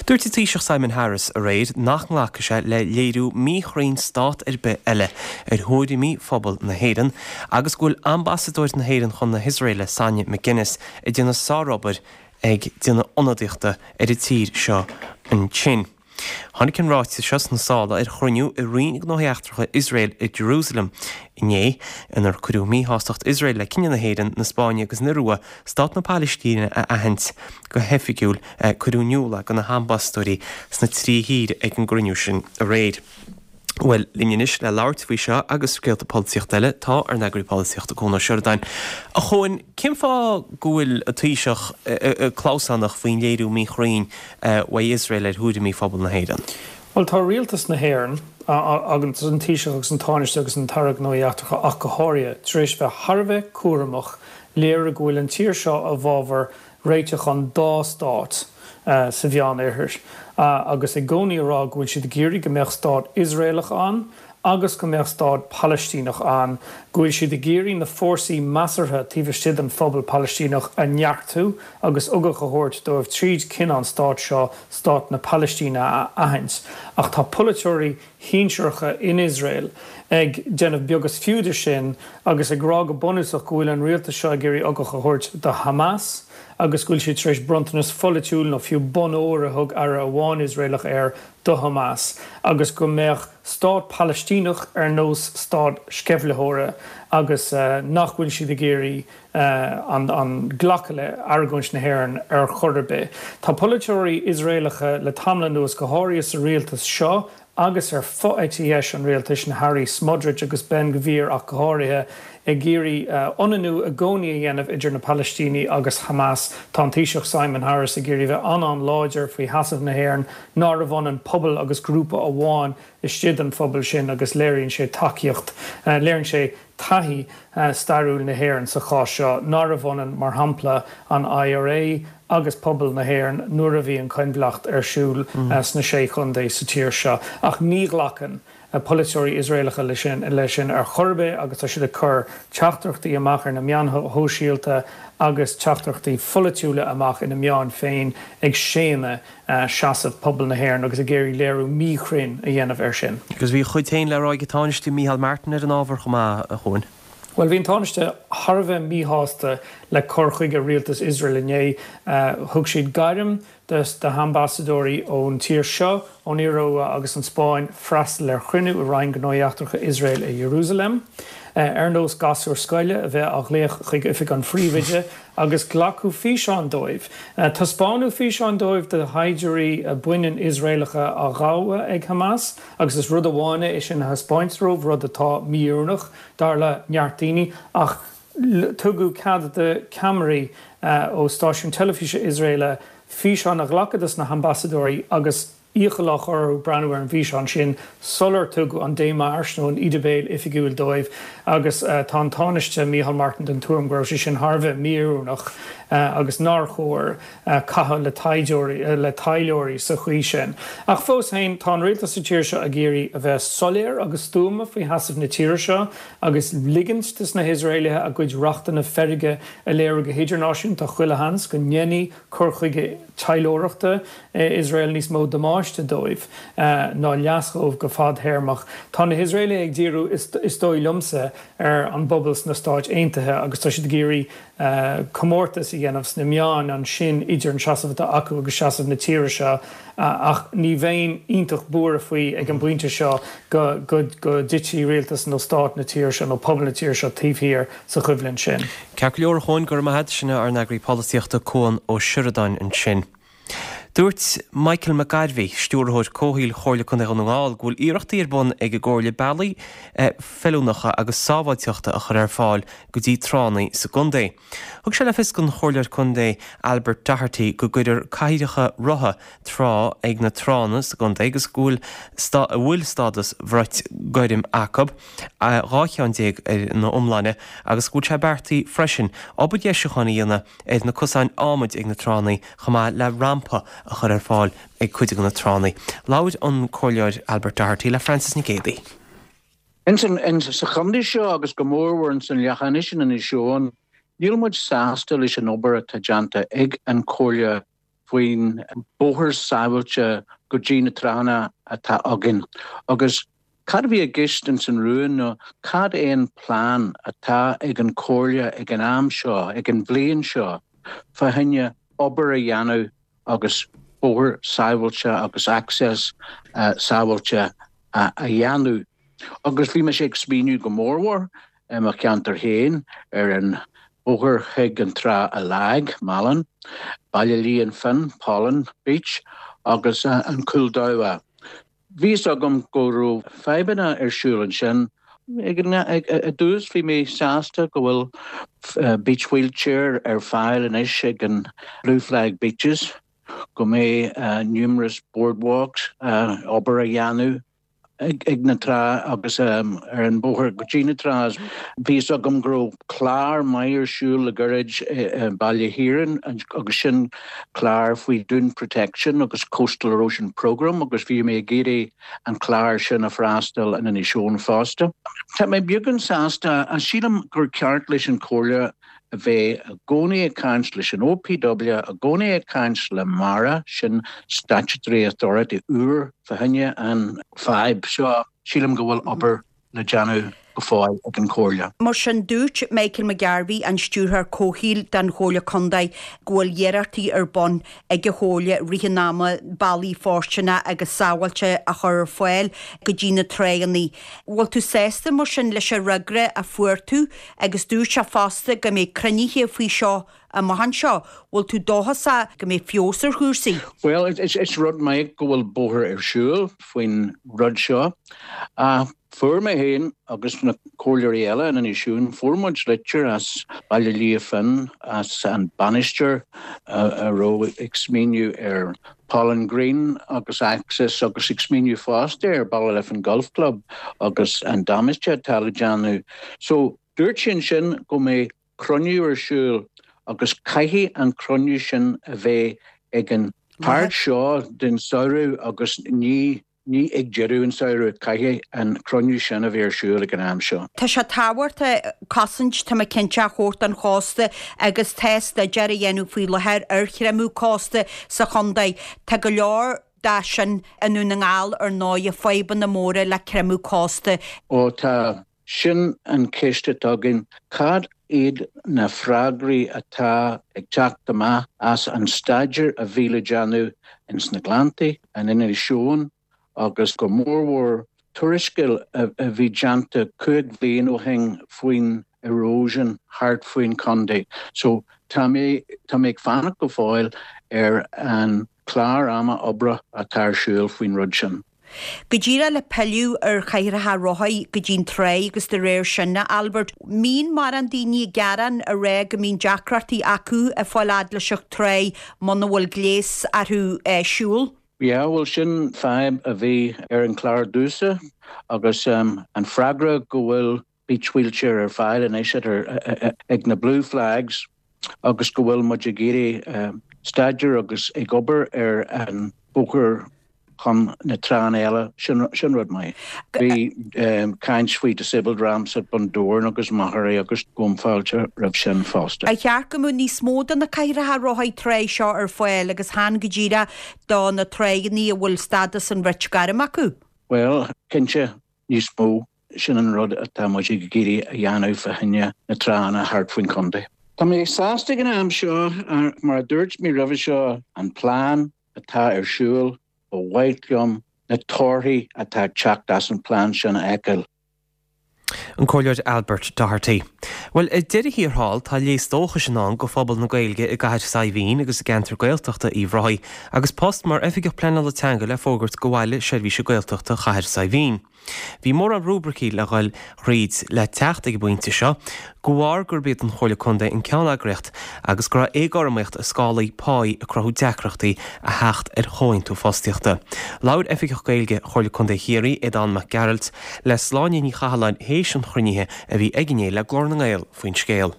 Dúirt an Taoiseach Simon Harris aréir nach nglacfaidh sé le léiriú míchruinn stát ar bith eile ar thuairimí phobal na hÉireann agus go bhfuil ambasadóir na hÉireann chun na hIosraeile, Sonia McGuinness, ag déanamh sárobair ag déanamh ionadaíochta ar an tír seo ansin. Tháinig an ráiteas seo sna sála ar chruinniú i Roinn Gnóthaí Eachtracha Iosrael i Jerusalem inné, inar cuireadh míshástacht Iosrael le cinneadh na hÉireann, na Spáinne agus na hIorua stát na Palaistíne a aithint go hoifigiúil. Cuireadh in iúl é do na hambasadóirí sna trí thír ag an gcruinniú sin aréir. Bhuel, linn anois le labhairt faoi seo agus scéalta polaitíochta eile tá ár n-eagraí polaitíochta, Cuan Ó Seireadáin. A Chuain, cén fáth go bhfuil an Taoiseach clamhsánach faoin léiriú míchruinn uaidh Iosrael ar thuairimí phobal na hÉireann? Bhuel, tá rialtas na hÉireann, agus an Taoiseach agus an Tánaiste agus an tAire Gnóthaí Eachtracha ach go háirithe, tar éis bheith thar a bheith cúramach léiriú go bhfuil an tír seo i bhfabhar réiteach an dá stát sa Mheánoirthear agus i gcónaí a rá go bhfuil siad ag iarraidh go mbeadh stát Iosraelach ann agus go mbeadh stát Palaistíneach ann, go bhfuil siad ag iarraidh na fórsaí measartha taobh istigh den phobal Palaistíneach a neartú agus ugach a thabhairt dóibh tríd cinneadh an stáit seo, stát na Palaistíne, a aithint. Ach tá polaiteoirí shinsearacha in Iosrael ag déanamh beag is fiú de sin agus ag rá go bunúsach go bhfuil an rialtas seo ag iarraidh ugach a thabhairt do Hamas agus go bhfuil siad tar éis bronntanas pholaitiúil nó fiú bonn óir a thug aire amháin Iosraelach air do Hamas agus go mbeadh stát Palaistíneach ar nós stát sceimhlitheora agus nach bhfuil siad ag iarraidh an glacadh le argóint na hÉireann ar chor ar bith. Tá polaiteoirí Iosraelacha le tamall anuas, go háirithe sa rialtas seo agus ar fho-eite dheis an rialtais, na hairí Smotrich agus Ben Gvir ach go háirithe, ag iarraidh ionannú i gcónaí a dhéanamh idir na Palaistínigh agus Hamas. Tá an Taoiseach Simon Harris ag iarraidh bheith an-an-láidir faoi sheasamh na hÉireann, nárbh ionann pobal agus grúpa amháin istigh den phobal sin agus léiríonn sé tacaíocht, léiríonn sé taithí stairiúil na hÉireann sa chás seo, nárbh ionann, mar shampla, an IRA agus pobal na hÉireann nuair a bhí an choinbhleacht ar siúl sna Sé Chontae sa tír seo. Ach ní ghlacann polaiteoirí Iosraelacha leis sin ar chor ar bith agus tá siad ag cur teachtaireachtaí amach ar na meáin shóisialta agus teachtaireachtaí pholaitiúla amach ina meáin féin ag séanadh seasamh pobal na hÉireann agus ag iarraidh léiriú míchruinn a dhéanamh air sin. Agus bhí a chuid féin le rá ag an Tánaiste Micheál Martin ar an ábhar chomh maith, a Chuain. Bhuel, bhí an Tánaiste thar a bheith míshásta le cur chuige rialtas Iosrael inné. Thug siad gairm do. de na hambasadóirí ón tír seo, ón Iorua agus an Spáinn freastal ar chruinniú i Roinn Gnóthaí Eachtracha Iosrael i Iarúsailéim, ar nós gasúr scoile a bheith á ghlaoch chuig oifig an phríomhoide, agus glacadh físeáin dóibh. Taispeánadh físeáin dóibh de shaighdiúirí baineann Iosraelacha á ngabhadh ag Hamas, agus is rud amháin é sin a thaispeáint dóibh, rud atá mí-oiriúnach, dar le neart daoine, ach tugadh cead do cheamaraí ó stáisiún teilifíse Iosraela físeán a ghlacadh dos na hambasadóirí agus iachall á chur orthu breathnú ar an bhfíseán sin sular tugadh an démarche nó an íde béil oifigiúil dóibh agus tá an Tánaiste Micheál Martin den tuairim go raibh sé sin thar a bheith mí-oiriúnach agus nár chóir caitheamh le taighdeoirí, le taidhleoirí sa chaoi sin. Ach fós féin, tá an rialtas sa tír seo ag iarraidh a bheith soiléir agus stuama faoi sheasamh na tíre seo agus ligint dos na hIosraelaithe a gcuid rachtanna feirge a léiriú go hidirnáisiúnta. Chuile sheans go ndéanfaidh cur chuige taidhleoireachta Iosrael níos mó damáiste dóibh ná leas dhóibh go fadthéarmach. Tá na hIosraelaithe ag díriú, is dóigh liomsa, ar an bpobal sna Stáit Aontaithe agus tá siad ag iarraidh comórtas a dhéanamh sna meáin ansin idir an seasamh atá acu agus seasamh na tíre seo ach ní bheinn iontach buartha faoi ag an bpointe seo go dtitfidh rialtas nó stát na tíre seo nó pobal na tíre seo taobh thiar sa choimhlint sin. Ceart go leor, a Chuain, go raibh maith agat. Sin é ár n-eagraí polaitíochta Cuan Ó Seireadáin ansin. Dúirt Michael McGarvey, Stiúrthóir Comhshaoil Chomhairle Contae Dhún na nGall, go bhfuil iarrachtaí ar bun ag an gComhairle bealaí feiliúnacha agus sábháilteachta a chur ar fáil go dtí tránna sa gcontae. Thug sé le fios don Chomhairleoir Contae Albert Doherty go gcuirfear cathaoireacha rotha trá ag na tránna sa gcontae agus go bhfuil a bhfuil stádas bhrait ghoirm acu, 12 cheann ar an iomláine, agus go bhfuil sé beartaithe freisin obair dheisiúcháin a dhéanamh ar na cosáin adhmaid ag na tránna chomh maith le rampa a chur ar fáil ag cuid de na tránna. Labhair an Comhairleoir Albert Doherty le Frances Nic Géadaigh. Ins an sa chontae seo agus go mórmhór ins an Leacain is in Inis Eoghain, níl muid sásta leis an obair atá déanta ag an Chomhairle faoin bóthar sábháilte go dtí na tránna atá againn agus cad a bhí i gceist ins an rún nó cad é an plean atá ag an Chomhairle ag an am seo, ag an bhliain seo, fá choinne obair a dhéanamh agus bóthar sábháilte agus access sábháilte a dhéanamh. Agus bhí mise ag smaoineamh go mórmhór i mo cheantar féin ar an bhóthar chuig an trá i Lág, Malin, Baile Liath an Finn, Pollan Beach, agus an Cúl Damhá. Bhí fhios agam go raibh fadhbanna ar siúl ansin. I dtús bhí mé sásta go bhfuil beach wheelchair ar fáil anois ag an Blue Flag Beaches, go mbeidh numerous boardwalks, obair a dhéanamh. ag na trá agus ar an bóthar go dtí na trá. Bhí fhios agam go raibh clár maith ar siúl le gairid i Baile Thiaráin agus sin clár faoi Dune Protection agus Coastal Erosion Programme agus bhí mé ag iarraidh an clár sin a freastal in Inis Eoghain fosta. Tá mé beagán sásta, sílim gur ceart leis an Chomhairle a bheith i gcónaí ag caint leis an OPW, i gcónaí ag caint le MARA, sin statutory authority úr fá choinne an fadhb seo. Sílim go bhfuil obair le déanamh go fóill ag an Chomhairle. Mar sin, dúirt Michael McGarvey, an Stiúrthóir Comhshaoil don Chomhairle Contae, go bhfuil iarrachtaí ar bun ag an Chomhairle i rith an ama bealaí fóirsteanacha agus sábháilte a chur ar fáil go dtí na tránna. Bhfuil tú sásta mar sin leis an fhreagra a fuair tú Agus dúirt sé fosta go mbeidh cruinnithe faoi seo amach anseo. Bhfuil tú dóchasach go mbeidh feabhas ar chúrsaí? Bhuel, is rud maith go bhfuil bóthar ar siúl faoin rud seo. Ach fuair mé féin agus na comhairleoirí eile in Inis Eoghain, fuair muid litir as Baile Liath Finn, as an bainisteoir a raibh ag smaoineamh ar Pollan Green agus Access agus ag smaoineamh fosta ar Ballyliffin Golf Club agus an damáiste atá le déanamh. So, dúirt sé ansin go mbeidh cruinniú ar siúl agus caithfidh an cruinniú sin a bheith ag an páirt seo den samhradh agus ní Ní ag deireadh an samhradh, caithfidh an cruinniú sin a bheith ar siúl ag an am seo. Tá sé tábhachtach cosaint, tá mé cinnte, a thabhairt don chósta agus tá staidéar á dhéanamh faoi láthair ar chreimeadh cósta sa chontae. Tá go leor de sin i nDún na nGall ar ndóighe, fadhbanna móra le creimeadh cósta. Ó tá, sin an cheist atá againn, cad. iad na freagraí atá ag teacht amach as an staidéar a bhí le déanamh ins na Gleanntaí, in Inis Eoghain agus go mórmhór tuarascáil a bhí déanta 5 bhliain ó shin faoin erosion thart faoin chontae. So tá mé, tá mé ag fanacht go fóill ar an clár ama oibre atá ar siúl faoin rud sin. Go díreach le pilleadh ar chathracha rothaí go dtí'n tráigh agus de réir sin, a Albert, mbíonn mórán daoine ag gearán ag rá go mbíonn deacrachtaí acu ag fáil fhad leis an tráigh muna bhfuil gléas orthu siúl? Yeah, bhuel sin fadhb a bhí ar an chlár domhsa agus an freagra go bhfuil beach wheelchair ar fáil anois ag na Blue Flags agus go bhfuil muid ag iarraidh staidéar agus ag obair ar an bóthar chun na tránna eile, sin rud maith. Bhí caint faoi disabled ramps at Bundoran agus Machairí agus gabhaim fáilte roimh sin fosta. Ar cheart go mbeadh níos mó de na cathracha rothaí tráigh seo ar fáil agus chan go díreach do na tráigheanna a bhfuil stádas an bhrait ghoirm acu? Bhuel, cinnte, níos mó. Sin an rud atá muid ag iarraidh a dhéanamh fá choinne na tránna thart faoin chontae. Tá mé sásta ag an am seo, mar a dúirt mé roimhe seo, an plean atá ar siúl, ba mhaith liom na torthaí atá ag teacht as an plean sin a fheiceáil. An Comhairleoir Albert Doherty. Bhuel, ar deireadh thiar thall, tá léas dóchais i ndán go phobal na Gaeilge i gCathair Saidhbhín agus i gceantar Gaeltachta Uíbh Ráthaigh agus post mar Oifigeach Pleanála Teanga le fógairt go Bhaile Seirbhíse Gaeltachta Chathair Saidhbhín. Bhí mórán rúibricí le dhul thríd le teacht ag an bpointe seo, de bharr gurb iad an Chomhairle Contae an ceanneagraíocht agus go raibh éagothromaíocht i scálaí páí ag cruthú deacrachtaí a theacht ar chomhaontú fostaíochta. Labhair Oifigeach Gaeilge Chomhairle Contae Chiarraí, Aodán Mac Gearailt, le Sláine Ní Chathalláin théis an chruinnithe a bhí aige inné le Glór na nGael faoin scéal.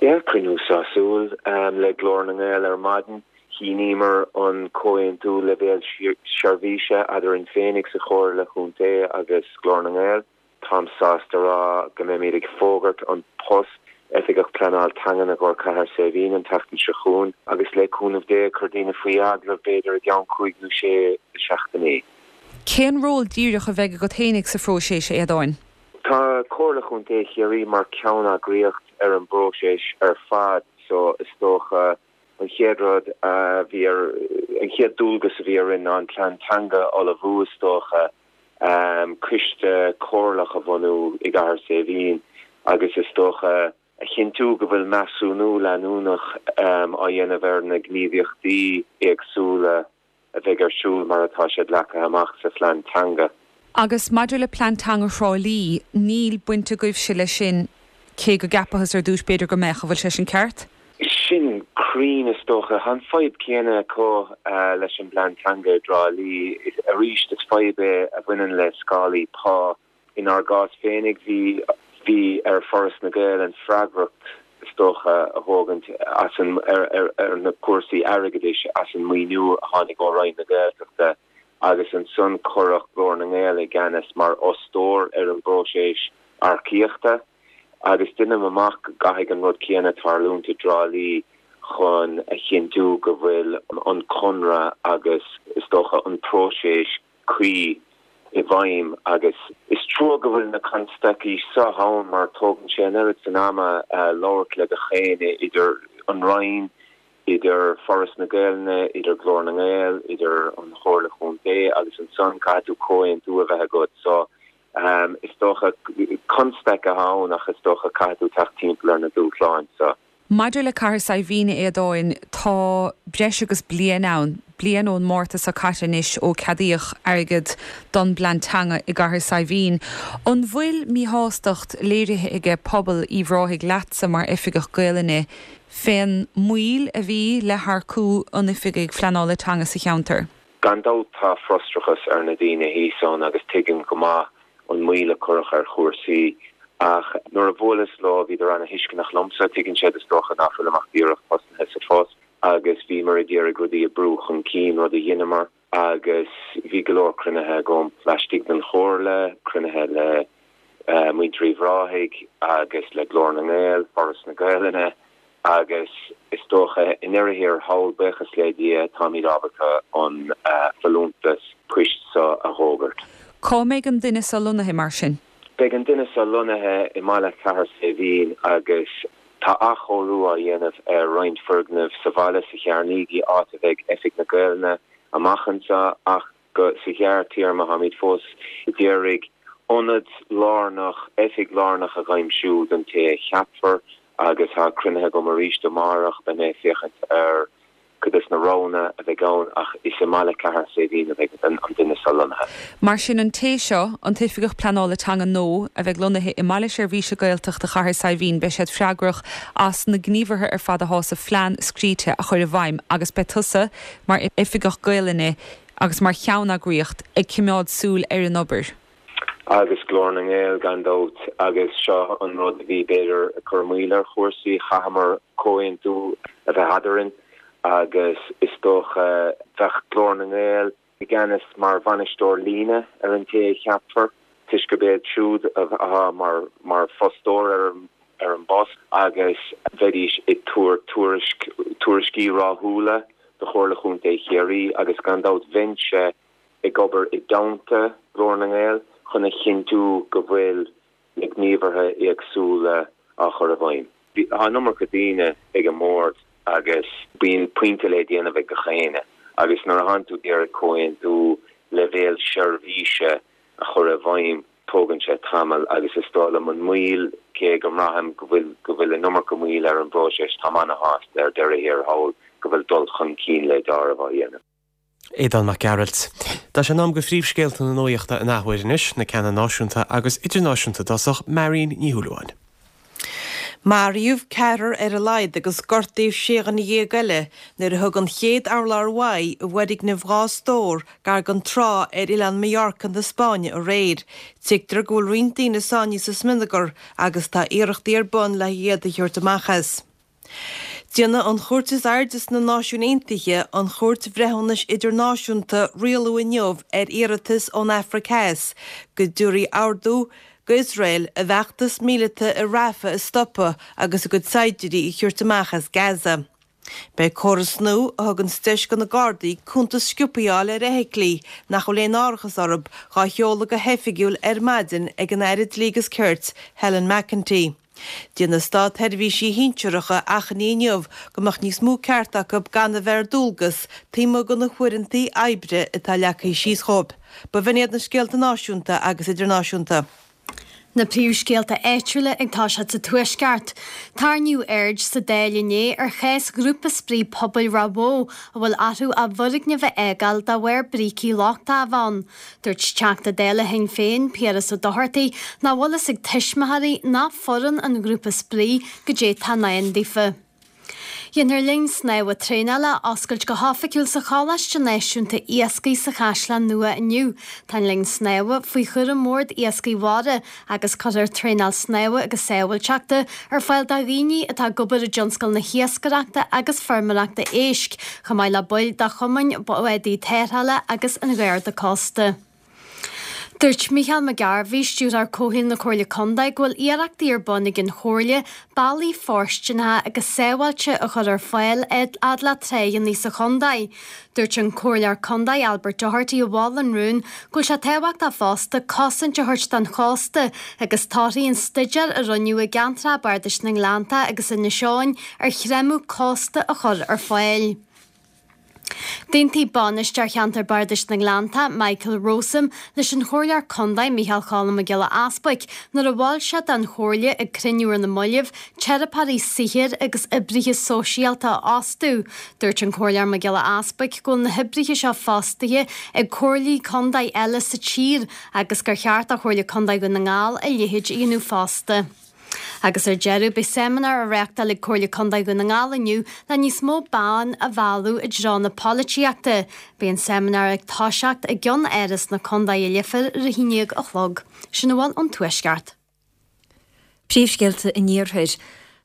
Yeah, cruinniú sásúil le Glór na nGael ar maidin. Shíníomar an comhaontú leibhéal seirbhíse eadarainn féinig sa Chomhairle Chontae agus Glór na nGael. Táim sásta a rá go mbeimid ag fógairt an post Oifigeach Pleanáil Teangan i gcomhair Cathair Saidhbhín an tseachtain seo chugainn agus le cúnamh Dé cur daoine faoi agallamh b'fhéidir i gceann cúig nó sé seachtainí. Cén ról díreach a bheidh agat fhéinig sa phróiseas, a Aodáin? Tá Comhairle Chontae Chiarraí mar ceanneagraíocht ar an bpróiseas ar fad so is dócha an chéad rud a bhí ar, an chéad dualgas a bhí orainn ná an plean teanga a ullmhú is dócha, coiste comhairleach a bhunú i gCathair Saidhbhín agus is dócha a chinntiú go bhfuil measúnú leanúnach á dhéanamh ar na gníomhaíochtaí éagsúla a bheidh ar siúl mar atá siad leagtha amach sa phlean teanga. Agus maidir le plean teanga Thrá Lí, níl baint agaibhse leis sin, cé go gceapathas ar dtús b'fhéidir go mbeadh, an bhfuil sé sin ceart? Sin cruinn is dócha. Tá an fadhb céanna acu leis an bplean teanga i dTrá Lí. Arís is fadhb é a bhaineann le scálaí pá. Inár gcás féinig, bhí bhí ar Foras na Gaelainne freagracht, is dócha, a thógaint as an ar ar na cúrsaí airgeadais as an maoiniú a tháinig ó Roinn na Gaeltachta agus ansan cuireadh Glór na nGael i gceannas mar fhostóir ar an bpróiseas earcaíochta agus deinim amach go gcaithfidh an rud céanna tarlúint i dTrá Lí chun a chinntiú go bhfuil an conradh agus, is dócha, an próiseas cuí i bhfeidhm agus is trua go bhfuil na constaicí seo ann mar tógann sé an oiread san ama labhairt le gach éinne idir an Roinn, idir Foras na Gaelainne, idir Glór na nGael, idir an Chomhairle Chontae agus ansan caithfidh tú comhaontú a bheith agat so is dócha constaic atá ann ach is dócha caithfidh tú teacht timpeall ar na dúshláin so. Maidir le Cathair Saidhbhín, a Aodáin, tá breis agus bliain ann, bliain ón Márta seo caite anois ó ceadaíodh airgead don bplean teanga i gCathair Saidhbhín. An bhfuil míshástacht léirithe aige pobal Uíbh Ráthaigh leatsa mar Oifigeach Gaelainne fén moill a bhí le hearcú an Oifigigh Phleanála Teanga sa cheantar? Gan dabht tá frustrachas ar na daoine thíos ann agus tuigim go maith an moill a cuireadh ar chúrsaí ach nuair a bhuaileas leo bhíodar ana-thuisceanach liomsa, tuigeann siad is dócha ná fuilim ach díreach tosnaithe sa phost agus bhíomar ag iarraidh rudaí a brú chun cinn, rud a dheineamar agus bhí go leor cruinnithe agam laistigh den chomhairle, cruinnithe le muintir Uíbh Ráthaigh agus le Glór na nGael, Foras na Gaelainne agus is dócha i ndeireadh thiar thall, buíochas le Dia, táimid ábalta an folúntas poist seo a dh'fhógairt. Cá mbeidh an duine seo lonnaithe mar sin? Beidh an duine seo lonnaithe i mbaile Chathair Saidhbhín agus tá athchóiriú á dhéanamh ar roinnt foirgneamh sa bhaile, sa Chearnaígí, áit a bheidh Oifig na Gaelainne amach anseo ach go sa ghearrtéarma táimid fós ag iarraidh ionad lárnach, oifig lárnach a dh'aimsiú don té a cheapfar agus tá cruinnithe agam arís amárach, beidh mé ag féachaint ar cuid des na roghanna a bheidh ann ach is i mbaile Chathair Saidhbhín a bheidh an duine seo lonnaithe. Mar sin, an té seo, an tOifigeach Pleanála Teanga nua, a bheidh lonnaithe i mBaile Seirbhíse Gaeltachta Chathair Saidhbhín, beidh siad freagrach as na gníomhartha ar fad athá sa phlean scríte a chur i bhfeidhm agus beidh tusa, mar Oifigeach Gaelainne agus mar cheanneagraíocht, ag coimeád súil ar an obair. Agus Glór na nGael, gan dabht, agus seo an rud a bhí, b'fhéidir, ag cur moill ar chúrsaí, chaitheamar comhaontú a bheith eadarainn agus is dócha, bheadh Glór na nGael i gceannas mar bhainisteoir líne ar an té a cheapfar, toisc gurb iad siúd atá mar fostóir ar ar an bpost agus bheidís ag tabhairt tuairisc, tuairiscí ráithiúla do Chomhairle Chontae Chiarraí agus gan dabht bheinnse ag obair i dteannta Glór na nGael chun a chinntiú go bhfuil na gníomhartha éagsúla á chur i bhfeidhm. Tá an iomarca daoine ag an mbord agus bíonn pointe le déanamh ag gach éinne agus nuair a thánn tú ag iarraidh comhaontú leibhéal seirbhíse a chur i bhfeidhm tógann sé tamall agus is dóigh liom an moill, cé go mbraithim go bhfuil go bhfuil an iomarca moill ar an bpróiseas, táim ana-shásta ar deireadh thiar thall go bhfuil dul chun cinn le deáramh á dhéanamh. Aodán Mac Gearailt. Tá sé in am do phríomhscéalta na nuachta an athuair anois, na ceanna náisiúnta agus idirnáisiúnta i dtosach, Marion Ní Shúilleabháin. Maraíodh ceathrar ar a laghad agus gortaíodh 16 dhuine eile nuair a thug an chéad urlár uaidh i bhfoirgneamh dhá stór gar don trá ar oileán Mallorca na Spáinne aréir. Tuigtear go bhfuil roinnt daoine sáinnithe sa smionagar agus tá iarrachtaí ar bun le hiad a thabhairt amach as. Déanfaidh an chúirt is airde sna Náisiúin Aontaithe, an Chúirt Bhreithiúnais Idirnáisiúnta, rialú inniu ar iarratas ón Afraic Theas go dtabharfaí ordú d'Iosrael a bhfeachtas míleata i Rafah a stopadh agus a gcuid saighdiúirí a thabhairt amach as Gaza. Beidh córas nua a thuganns deis do na Gardaí cuntas sciobtha a fháil ar fheithiclí nach bhfuil aon árachas orthu dhá sheoladh go hoifigiúil ar maidin ag an Aire Dlí agus Cirt, Helen McEntee. D'iarr na státsheirbhísigh shinsearacha achainí inniu go mbeadh níos mó ceart acu gan a bheith ar dualgas taobh amuigh de na huaireanta oibre atá leagtha síos dhóibh. B'in iad na scéalta náisiúnta agus idirnáisiúnta. Na príomhscéalta áitiúla ag toiseacht sa Tuaisceart. Tarraingíodh aird sa Dáil inné ar chás ghrúpa spraoi pobail Ráth Bhoth a bhfuil orthu a bhfoirgneamh a fhágáil de bharr brící lochtacha a bheith ann. Dúirt Teachta Dála Shinn Féin, Piaras Ó Dochartaigh, nach bhfuil fhios ag tuismitheoirí ná foireann an ghrúpa spraoi goidé tá i ndán daofa. Déanfar linn snámha traenála a oscailt go hoifigiúil sa Choláiste Náisiúnta Iascaigh sa Chaisleán Nua inniu. Tá an linn snámha faoi chúram Bhord Iascaigh Mhara agus cuirfear traenáil snámha agus sábháilteachta ar fáil do dhaoine atá ag obair i dtionscal na hiascaireachta agus feirmeoireachta éisc, chomh maith le baill de chumainn bádaí tarrthála agus an Gharda Cósta. Dúirt Mícheál McGarvey, Stiúrthóir Comhshaoil na Comhairle Contae, go bhfuil iarrachtaí ar bun ag an Chomhairle bealaí fóirsteanacha agus sábháilte a chur ar fáil fhad le tráigheanna sa chontae. Dúirt an Comhairleoir Contae Albert Doherty a mhol an rún go bhfuil sé tábhachtach fosta cosaint a thabhairt don chósta agus torthaí an staidéir a rinneadh i gceantracha bardais na nGleannta agus Inis Eoghain ar chreimeadh cósta a chur ar fáil. D'aontaigh Bainisteoir Cheantar Bardais na nGleannta, Michael Rowsome, leis an Chomhairleoir Contae, Micheál Cholm Mac Giolla Easbuic, nuair a mhol sé don Chomhairle ag cruinniú ar na mallaibh, teiripeoirí saothair agus oibrithe sóisialta a fhostú. Dúirt an Comhairleoir Mac Giolla Easbuic go bhfuil na hoibrithe seo fostaithe ag comhairlí contae eile sa tír agus gur cheart do Chomhairle Contae Dhún na nGall a leithéid a dhéanamh fosta. Agus ar deireadh, beidh seimineár á reáchtáil ag Comhairle Contae Dhún na nGall inniu le níos mó ban a mhealladh i dtreo na polaitíochta. Beidh an seimineár ag toiseacht i gCeann-Áras na Contae i Leifear ar a haon dhéag a chlog. Sin a bhfuil ón Tuaisceart. Príomhscéalta an Iarthair.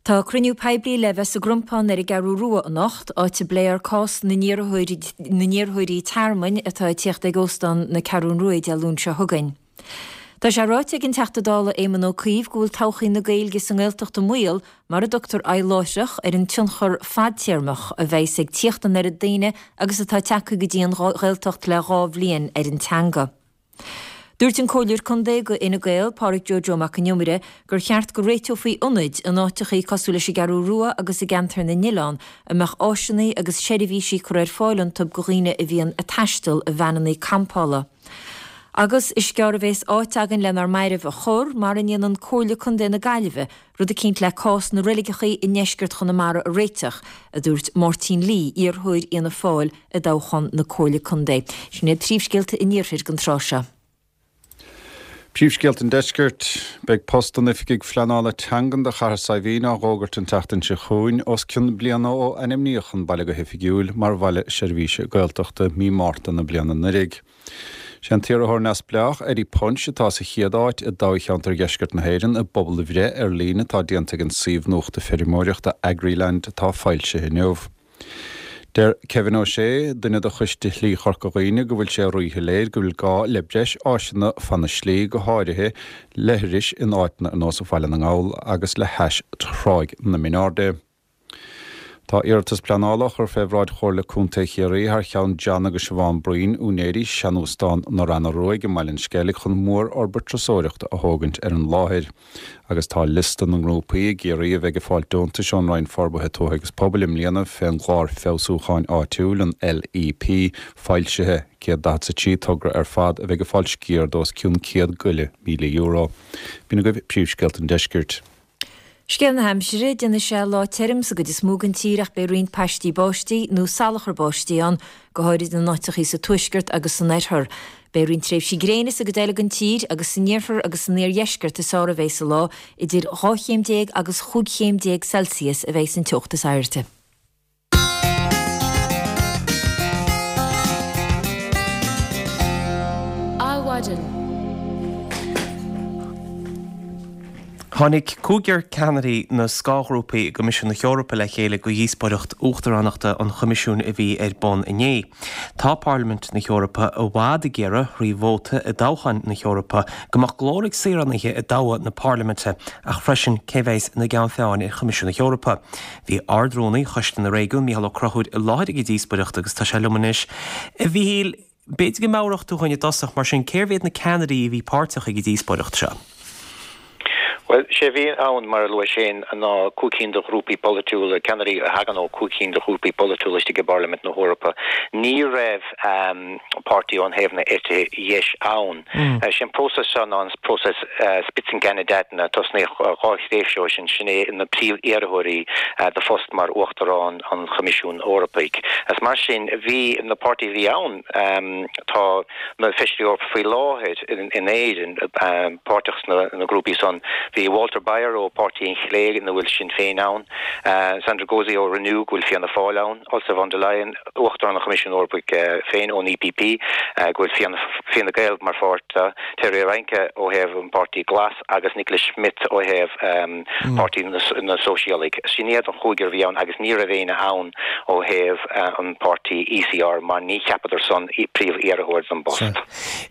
Tá cruinniú poiblí le bheith sa gCrompán ar an gCeathrú Rua anocht, áit a bpléifear cás na n-iarrthóirí tearmainn atá ag tíocht ag Óstán na Ceathrún Rua Dé Luain seo chugainn. Tá sé ráite ag an Teachta Dála Éamon Ó Cuív go bhfuil todhchaí na Gaeilge sa nGaeltacht i mbaol mura dtugtar aghaidh láithreach ar an tionchar fadtéarmach a bheas ag tíocht an oiread daoine agus atá tagtha go dtí an Ghaeltacht le dhá bhliain ar an teanga. Dúirt an Comhairleoir Contae do Fhine Gael, Pádraig Joe Joe Mac an Iomaire, gur cheart go réiteofaí ionaid in áiteachaí cosúil leis an gCeathrú Rua agus i gceantar na nOileán a mbeadh áiseanna agus seirbhísí curtha ar fáil iontu do dhaoine a bhíonn ag taisteal i veaineanna campála. Agus is gearr a bhéas áit againn lenár mairbh a chur, mara ndéanann Comhairle Contae na Gaillimhe rud eicínt le cás na reiligeachaí i ndeisceart Chonamara a réiteach, a dúirt Máirtín Lee, iarrthóir Fhianna Fáil i dtoghchán na Comhairle Contae. Sin iad príomhscéalta an Iarthair don tráth seo. Príomhscéalta an Deiscirt, Beidh post an Oifigigh Phleanála Teangan do Chathair Saidhbhín á dh'fhógairt an tseachtain seo chugainn, os cionn bliana ó ainmníodh an baile go hoifigiúil mar Bhaile Seirbhíse Gaeltachta mí Márta na bliana anuraidh. Sé an t-iarrthóir neamhspleách, Eddie Punch, atá sa chéad áit i dtoghcheantar Dheisceart na hÉireann i bpobalbhreith ar líne atá déanta ag an suíomh nuachta feirmeoireachta Agriland atá foilsithe inniu. Deir Kevin O'Shea, duine de choiste Shlí Chorca Dhuibhne, go bhfuil sé ríshoiléir go bhfuil gá le breis áiseanna fan na slí, go háirithe leithris in áiteanna ar nós Bhaile na nGall agus le hais Thráigh na Mionairde. Tá iarratas pleanála á chur fé bhráid Chomhairle Contae Chiarraí thar cheann John agus Siobhán Breen, úinéirí seanóstán na Reanna Ruaidh i mBaile an Sceilg chun mórfhorbairt turasóireachta a thógaint ar an láthair. Agus tá liosta na ngrúpaí i gCiarraí a bheidh ag fáilt deontais ón Roinn Forbartha Tuaithe agus Pobail i mbliana fén gClár Feabhsúcháin Áitiúil, an LEP, foilsithe. 143 togra ar fad a bheidh ag fáil sciar d'os cionn €100 go leith míle. B'in agaibh príomhscéalta an deiscirt. Scéal na haimsire, Déanfaidh sé lá tirim sa gcuid is mó den tír ach beidh roinnt paistí báistí nó salachar báistí ann, go háirid in áiteachaí sa tuaisceart agus san oirthear. Beidh roinnt tréimhsí gréine sa gcuid eile den tír agus san iarthar agus san iardheisceart is fearr a bheidh an lá, idir 12 chéim agus 15 chéim Celsius a bheidh an teocht is airde. Adhmhaidin. Tháinig cúigear ceannairí na scáthghrúpaí i gCoimisiún na hEorpa le chéile do dhíospóireacht uachtaránachta an Choimisiúin a bhí ar bun inné. Tá Parlaimint na hEorpa i bhfad ag iarraidh, thrí vóta i dtoghcháin na hEorpa, go mbeadh glór ag saoránaithe i dtoghadh na Parlaiminte ach freisin cé bheas ina gceann feadhain ar Choimisiún na hEorpa. Bhí Ard-Rúnaí Choiste na Réigiún, Mícheál Ó Conchúir, i láthair ag an díospóireacht agus tá sé liom anois. A Mhíchíl, b'fhéidir go meabhródh tú dhúinn i dtosach, mar sin, cérbh iad na ceannairí a bhí páirteach ag an díospóireacht seo? Bhuel, sé a bhí ann, mar a luais féin, ná cúig cinn de ghrúpaí polaitiúla, ceannairí a thagann ó chúig cinn de ghrúpaí polaitiúla istigh i bParlaimint na hEorpa. Ní raibh páirtí ón thaobh na eite dheis ann. Sé an próiseas seo ná an próiseas Spitzenkandidaten a tosnaíodh dhá thréimhse ó sin, sin é na príomh-iarrthóirí do phost mar Uachtarán an Choimisiúin Eorpaigh. Is mar sin, bhí na páirtithe a bhí ann, tá na Feisirí Eorpacha faoi láthair in Éirinn páirteach sna grúpaí san. Bhí Walter Baier ó Páirtí an Chlé ina bhfuil Sinn Féin ann, Sandra Gozi ó Renew go bhfuil Fianna Fáil ann, Ursula von der Leyen, Uachtarán an Choimisiúin Eorpaigh féin ón EPP, go bhfuil Fine Gael mar pháirt de, Terry Reintke ó thaobh an Páirtí Glas agus Nicolas Schmit ó thaobh Páirtí na Sóisialaigh. Sin iad an chúigear a bhí ann agus ní raibh éinne ann ó thaobh an páirtí ECR mar ní cheapadar san príomh-iarrthóir don bpost.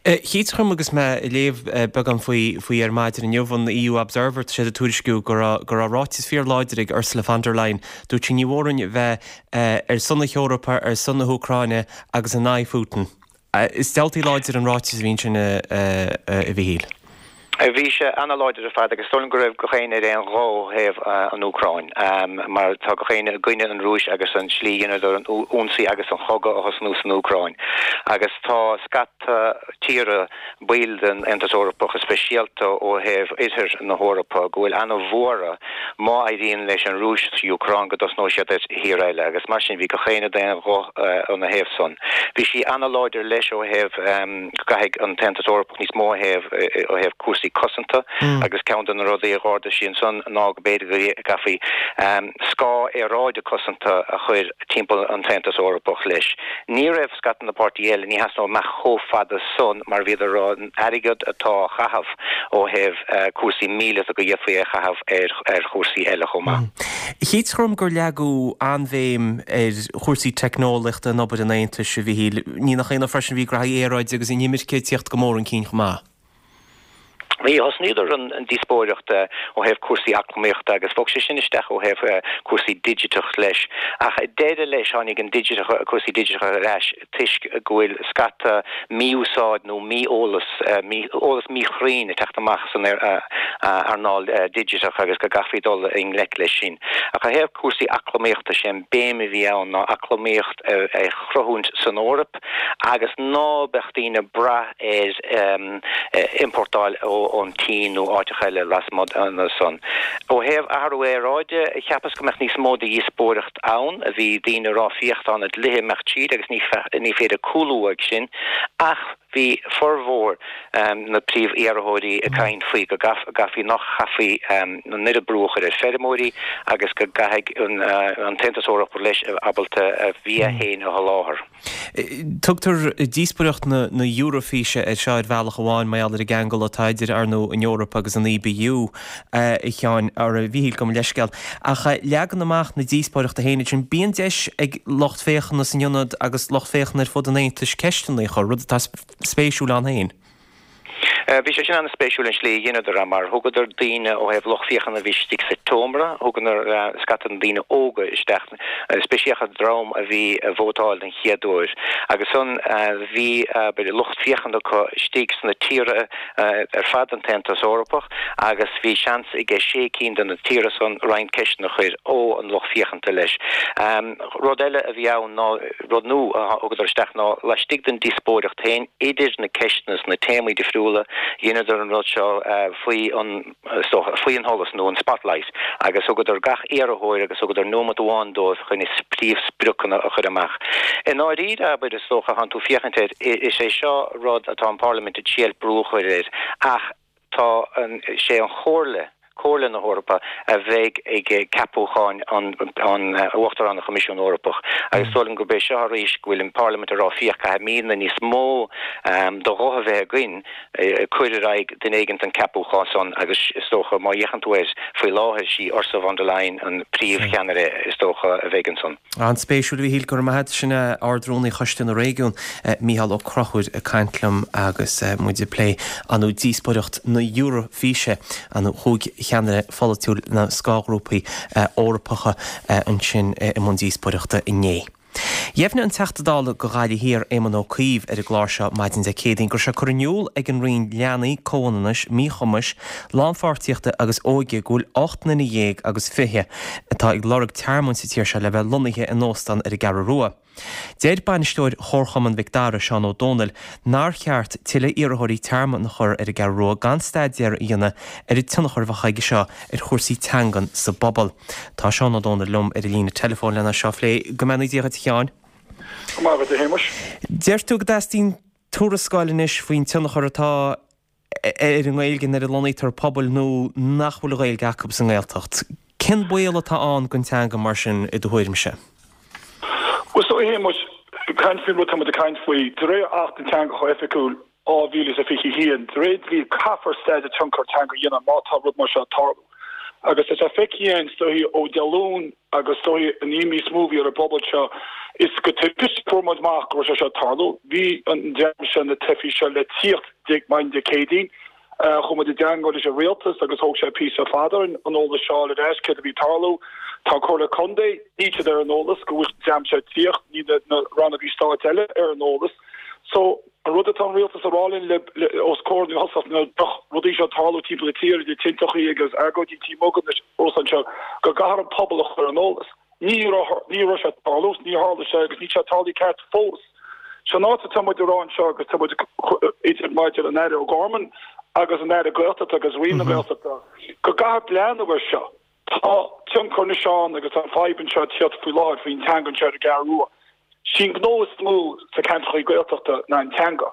Chítear dom agus mé ag léamh beagán faoi ar maidin inniu, an EU Observer, tá siad ag tuairisciú go raibh ráiteas fíorláidir ag Ursula von der Leyen. Dúirt sí ní mhór dúinn bheith ar son na hEorpa, ar son na hÚcráine agus in aghaidh Phutin. Is diabhaltaí láidir an ráiteas a bhí ansin, a Mhíchíl. Bhí sé ana-láidir ar fad agus is dóigh liom go raibh gach éinne ar aon ghuth ó thaobh an Úcráin mar tá gach éinne i gcoinne an Rúis agus an slí a dheineadar an ionsaí agus an chogadh a thosnú san Úcráin agus tá scata tíortha baill den Aontas Eorpach, go speisialta ó thaobh oirthear na hEorpa, go bhfuil ana-bhuartha má éiríonn leis an Rúis sa Úcráin go dtosnóidh siad ar thír eile agus mar sin bhí gach éinne d'aon ghuth ina thaobh san. Bhí sí ana-láidir leis ó thaobh go gcaithfidh an tAontas Eorpach níos mó ó thaobh ó thaobh cúrsaí cosanta agus ceann de na rudaí a dh'ardaigh sí ansan ná go b'fhéidir go gcaithfí scáth aeráide cosanta a chur timpeall an tAontas Eorpach leis. Ní raibh scata na páirtí eile, ní theastódh amach chomh fada san mar bhíodar ag rá an airgead atá á chaitheamh ó thaobh cúrsaí míleata go bhféadfaí é a chaitheamh ar chúrsaí eile chomh maith. Chítear dom gur leagadh an-bhéim ar chúrsaí teicneolaíochta in obair an Aontais, a Mhichíl. Ní nach ionadh freisin bhí graithí aeráide agus inimirce ag tíocht go mór chun cinn chomh maith. Bhí, thosnaíodar an díospóireacht ó thaobh cúrsaí eacnamaíochta agus bhog sé sin isteach ó thaobh cúrsaí digiteach leis. Ach ag deireadh leis tháinig an digiteach, cúrsaí digiteacha ar ais toisc go bhfuil scata mí-úsáid nó mí-eolas, eolas míchruinn ag teacht amach san earnáil digiteach agus go gcaithfí dul i ngleic leis sin. Ach ó thaobh cúrsaí eacnamaíochta, sé an béim a bhí ann ná eacnamaíocht a chruthúint san Eoraip, agus ná beadh daoine ag brath ar iompórtáil ón tSín nó áiteacha eile lasmuigh de san. Ó thaobh athrú aeráide, cheapas go mbeadh níos mó de dhíospóireacht ann. Bhí daoine ag rá féach tá na dlíthe ag imeacht tríd agus ní féidir cúlú uaidh sin ach bhí formhór na príomh-iarrthóirí ag caint faoi go gcaithfí nach chaithfí an oiread brú a chur ar feirmeoirí agus go gcaithfidh an tAontas Eorpach leis ábalta a bhia féin a sholáthar. Tugtar díospóireacht na Eurofíse air seo ar bhealach amháin mar gheall ar an gceangal atá idir, ar ndóigh, an Eoraip agus an EBU, a Sheáin, or a Mhíchíl, gabh mo leithscéal. Ach leagan amach na díospóireachta féin ansin, bíonn deis ag lucht féachana san ionad agus lucht féachana ar fud an Aontais ceisteanna a chur, rud atá spéisiúil ann féin. Bhí sé sin an-spéisiúil an slí a dheineadar é mar thugadar daoine ó thaobh lucht féachana a bhí istigh sa tseomra, thugadar scata de na daoine óga isteach, speisialta an dream a bhí ag vótáil den chéad uair agus ansan bhí abair lucht féachana acu istigh sna tíortha ar fad den tAontas Eorpach agus bhí seans aige sé cinn de na tíortha san roinnt ceisteanna a chur ó an lucht féachanta leis. Rud eile a bhí ann ná Rud nua a thugadar isteach ná laistigh den díospóireacht féin idir na ceisteanna is na téamaí difriúla, dheineadar an rud seo faoi an, is dócha, faoi an sholas nó an spotlight agus thugadar gach iarrthóir agus thugadar nóimeat amháin dóibh chun a príomhspriocanna a chur amach. I ndáiríre, abair, is dócha, thánn tú féachaint air, is é seo rud atá an Pharlaimint ag triail brú a chur air ach, Tá an, sé an Chomhairle, Comhairle na hEorpa, a bheidh ag ceapúcháin an Uachtarán an Choimisiún Eorpach agus is dóigh liom gurb é seo arís go bhfuil an Parlaimint ag rá féach caithfimidne níos mó de ghuth a bheith againn cur ar aghaidh duine éigin don ceapúchán san agus is dócha má fhéachann tú air faoi láthair sí Ursula von der Leyen an príomh-cheannaire is dócha a bheidh ansan. An-spéisiúil, a Mhíchíl, go raibh maith agat. Sin é Ard-Rúnaí Choiste na Réigiún, Mícheál Ó Conchúir, ag caint liom agus muid ag plé ar ndóigh díospóireacht na Eurofíse, ar ndóigh chúig cheannaire pholaitiúil na scáthghrúpaí Eorpacha ansin i mbun díospóireachta inné. Dheimhnigh an Teachta Dála do Ghaillimh Thiar, Éamon Ó Cuív, ar an gclár seo maidin Dé Céadaoin go raibh sé curtha in iúl ag an Roinn Leanaí, Comhionannais, Míchumais, Lánpháirtíochta agus Óige go bhfuil 18 nduine agus 20 atá ag lorg tearmainn sa tír seo le bheith lonnaithe in óstán ar an gCeathrú Rua. Deir bainisteoir Chomharchumann Mhic Dara, Seán Ó Dónaill, nár cheart tuilleadh iarrthóirí tearmainn a chur ar an gCeathrú Rua gan staidéar a dhéanamh ar an tionchar a bheadh aige seo ar chúrsaí teangan sa bpobal. Tá Seán Ó Dónaill liom ar an líne teileafóin lena seo a phlé. Go mbeannaí Dia dhuit a Sheáin. Go maith agat a Shéamais. Deir tú go dteastaíonn tuarascáil anois faoin tionchar atá ar an nGaeilge nuair a lonnaítear pobail nua nach bhfuil Gaeilge acu sa nGaeltacht. Cén baol atá ann don teanga mar sin i do thuairimse? Bhuel, so a Shéamais, caint faoin rud tá muid ag caint faoi, de réir Acht na dTeangacha Oifigiúil 2021, de réir dlí caithfear staidéar tionchar teanga a dhéanamh má tá rud mar seo ag tarlú. Agus tá sé feicthe againn, is dóichí, ó Dé Luain agus is dóichí an imní is mó a bhí ar an bpobal seo, is go tubaiste fuair muid amach go raibh sé seo ag tarlú. Bhí an dream seo, na teifigh seo le tíocht maidin Dé Céadaoin. Chuaigh muid i dteangmháil leis an rialtas agus thóg sé píosa fada orainn an eolas seo a fháil ar ais céard a bhí ag tarlú. Tá an Comhairle Contae, níl siad ar an eolas go bhfuil an dream seo ag tíocht, níl na rannógaí stáit eile ar an eolas. So, an rud atá an rialtas a rá linn le os comhair na thosach na droch rudaí seo ag tarlú timpeall na tíre, idir tinteachaí agus agóidí Tí Mogad anois anseo, go gcaithfear an pobal a chur ar an eolas. Ní raibh, ní raibh sé ag tarlú, ní tharla sé agus níl sé ag tarlú ceart fós. Seo an áit atá muid ag rá anseo agus tá muid idir maidir an Aire O'Gorman agus an Aire Gaeltachta agus Roinn na Gaeltachta go gcaithfear breathnú air seo. Tá tionchar anois ann agus tá an fadhb anseo ag tíocht faoi láthair faoin teanga anseo ar an gCeathrú Rua. Sí an gnó is mó sa ceantrachaí Gaeltachta ná an teanga.